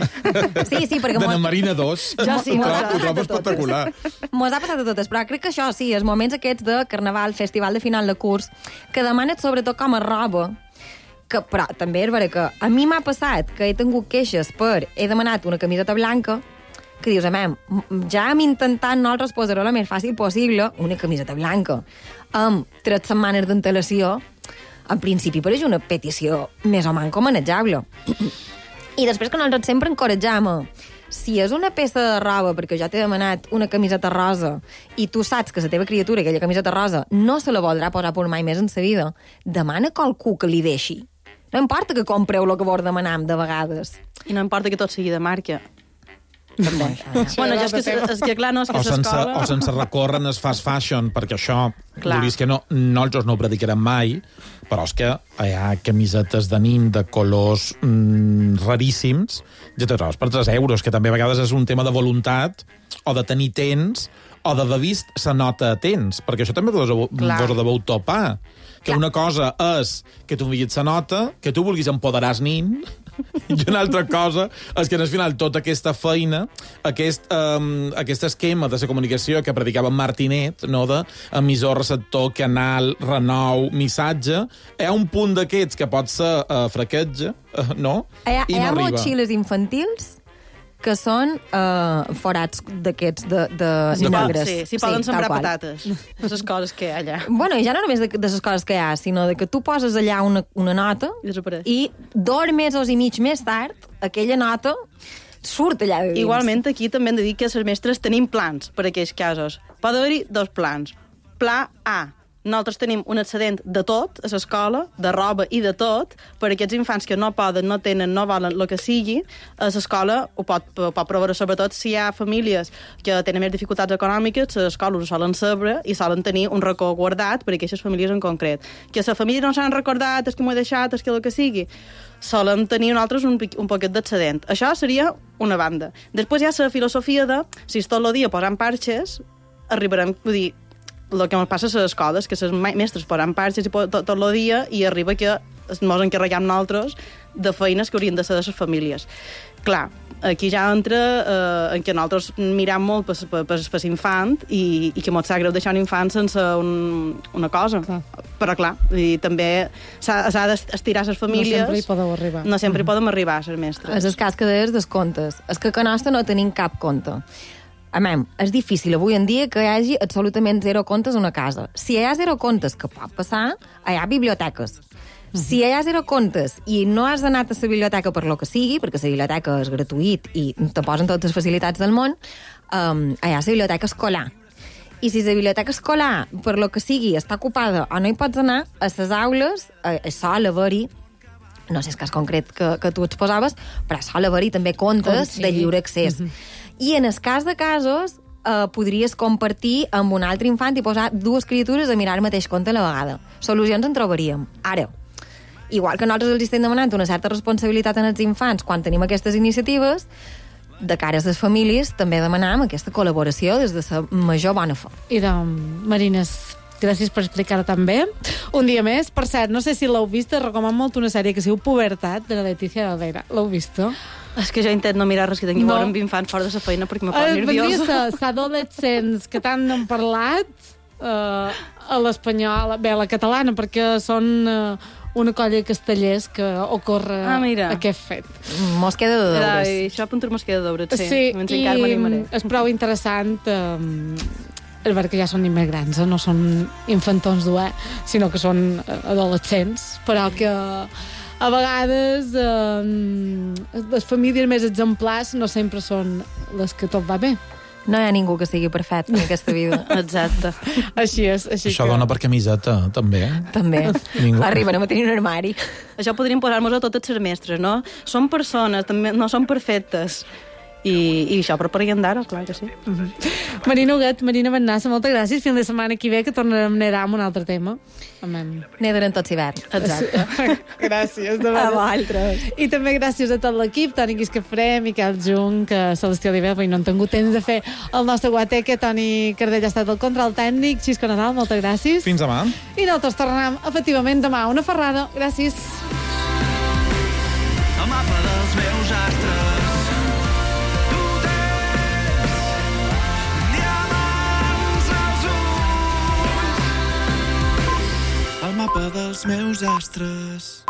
Speaker 18: Sí, perquè
Speaker 4: de na Marina 2.
Speaker 18: Jo sí,
Speaker 4: ho trobo espectacular.
Speaker 18: Mos ha passat a totes, però crec que això sí, els moments aquests de Carnaval, festival de final de curs, que demanes sobretot com a roba, que, però també és vera que a mi m'ha passat que he tingut queixes per he demanat una camiseta blanca, que dius, ja hem intentat nosaltres posar-ho el més fàcil possible, una camiseta blanca, amb 3 setmanes d'antelació, en principi pareix una petició més o menys manejable. I després que nosaltres sempre encoratjam si és una peça de roba, perquè jo t'he demanat una camiseta rosa i tu saps que la teva criatura, aquella camiseta rosa, no se la voldrà posar per mai més en sa vida, demana a qualcú que li deixi. No importa que compreu el que vos demanem de vegades.
Speaker 17: I no importa que tot sigui de marca. També. Bueno, és que clar, no, és que s'escola...
Speaker 4: O sense recórrer en el fast fashion, perquè això,
Speaker 17: Clar.
Speaker 4: vulguis que no, nosaltres no ho predicarem mai, però és que hi ha camisetes de nim de colors raríssims, ja te trobes per 3 euros, que també a vegades és un tema de voluntat, o de tenir temps, o d'haver vist la nota a temps, perquè això també vos ho deveu topar. Que una cosa és que tu enviïs la nota, que tu vulguis empoderar el nin, i una altra cosa és que, al final, tota aquesta feina, aquest esquema de la comunicació que predicava Martinet, no, de emissor, receptor, canal, renou, missatge, hi ha un punt d'aquests que pot ser fraquetge, no?
Speaker 18: Hi
Speaker 4: I no
Speaker 18: ha
Speaker 4: arriba.
Speaker 18: motxilles infantils que són forats d'aquests de negres.
Speaker 17: Sí, poden sembrar
Speaker 18: tal qual.
Speaker 17: patates. Les coses que hi ha allà.
Speaker 18: Bueno, i ja no només de les coses que hi ha, sinó de que tu poses allà una nota i 2 mesos i mig més tard aquella nota surt allà de dins.
Speaker 17: Igualment, aquí també hem de dir que les mestres tenim plans per a aquells casos. Pot haver-hi 2 plans. Pla A. Nosaltres tenim un excedent de tot a l'escola, de roba i de tot, per a aquests infants que no poden, no tenen, no volen, el que sigui, a l'escola ho pot proveure, sobretot si hi ha famílies que tenen més dificultats econòmiques, les escoles ho solen saber i solen tenir un racó guardat per a aquestes famílies en concret. Que la família no s'han recordat, és que m'ho he deixat, és que el que sigui, solen tenir nosaltres un poquet d'excedent. Això seria una banda. Després hi ha la filosofia de, si tot el dia posant parxes, arribarem, vull dir, el que ens passa a les escoles, que les mestres posen parxes tot el dia i arriba que ens encarreguem nosaltres de feines que haurien de ser de les famílies. Clar, aquí ja entra en què nosaltres mirem molt per l'infant i que ens sap greu deixar un infant sense una cosa. Clar. Però clar, i també s'ha d'estirar les famílies.
Speaker 1: No sempre hi podeu arribar.
Speaker 17: No sempre hi podem arribar, les mestres.
Speaker 18: És el cas que deies dels contes. És que a nostre no tenim cap conte. És difícil avui en dia que hi hagi absolutament 0 contes a una casa. Si hi ha 0 contes, que pot passar, hi ha biblioteques. Si hi ha 0 contes i no has anat a la biblioteca per lo que sigui, perquè la biblioteca és gratuït i te posen totes les facilitats del món, hi ha la biblioteca escolar. I si la biblioteca escolar, per lo que sigui, està ocupada o no hi pots anar, a les aules sol haver-hi, no sé el cas concret que tu exposaves, però sol haver-hi també comptes de lliure accés. I en el cas de casos, podries compartir amb un altre infant i posar 2 criatures a mirar el mateix conte a la vegada. Solucions en trobaríem. Ara, igual que nosaltres els estem demanant una certa responsabilitat en els infants quan tenim aquestes iniciatives, de cara a les famílies també demanam aquesta col·laboració des de la major bona fe.
Speaker 1: I Marines, gràcies per explicar-ho també. Un dia més. Per cert, no sé si l'heu vist, recomano molt una sèrie que es diu Pubertat, de la Letícia Alveira. L'heu vist?
Speaker 17: És que jo intento no mirar res que tingui a veure amb infants fora de la feina perquè me posa nerviosa.
Speaker 1: Els adolescents que tant han parlat a l'espanyol, bé, a la catalana, perquè són una colla de castellers que ocorre aquest fet.
Speaker 18: Mos queda de deures.
Speaker 17: Això apuntar mos queda de deures,
Speaker 1: sí. I és prou interessant el veure que ja són immigrants, no són infantons d'UE, sinó que són adolescents, però que a vegades les famílies més exemplars no sempre són les que tot va bé.
Speaker 18: No hi ha ningú que sigui perfecte en aquesta vida.
Speaker 17: Exacte.
Speaker 1: Així és.
Speaker 4: Això dona per camiseta, també.
Speaker 18: També. Arriben a tenir un armari.
Speaker 17: Això podríem posar-nos a totes les mestres, no? Són persones, també no són perfectes. I això per d'ara, clar que sí.
Speaker 1: Marina Huguet, Marina Bennassa, moltes gràcies. Fins la setmana que ve, que tornarem a nedar amb un altre tema.
Speaker 18: Nederem tots hivern.
Speaker 1: Exacte. Gràcies. A
Speaker 18: vosaltres.
Speaker 1: I també gràcies a tot l'equip, Toni Guiscafré, Miquel Jung, Celestí Oliver, perquè no han tingut temps de fer el nostre guateque, Toni Cardell ha estat el control tècnic, Xisco Nadal, moltes gràcies.
Speaker 4: Fins demà.
Speaker 1: I nosaltres tornem, efectivament, demà. Una ferrada. Gràcies.
Speaker 12: El mapa dels meus astres. El mapa dels meus astres.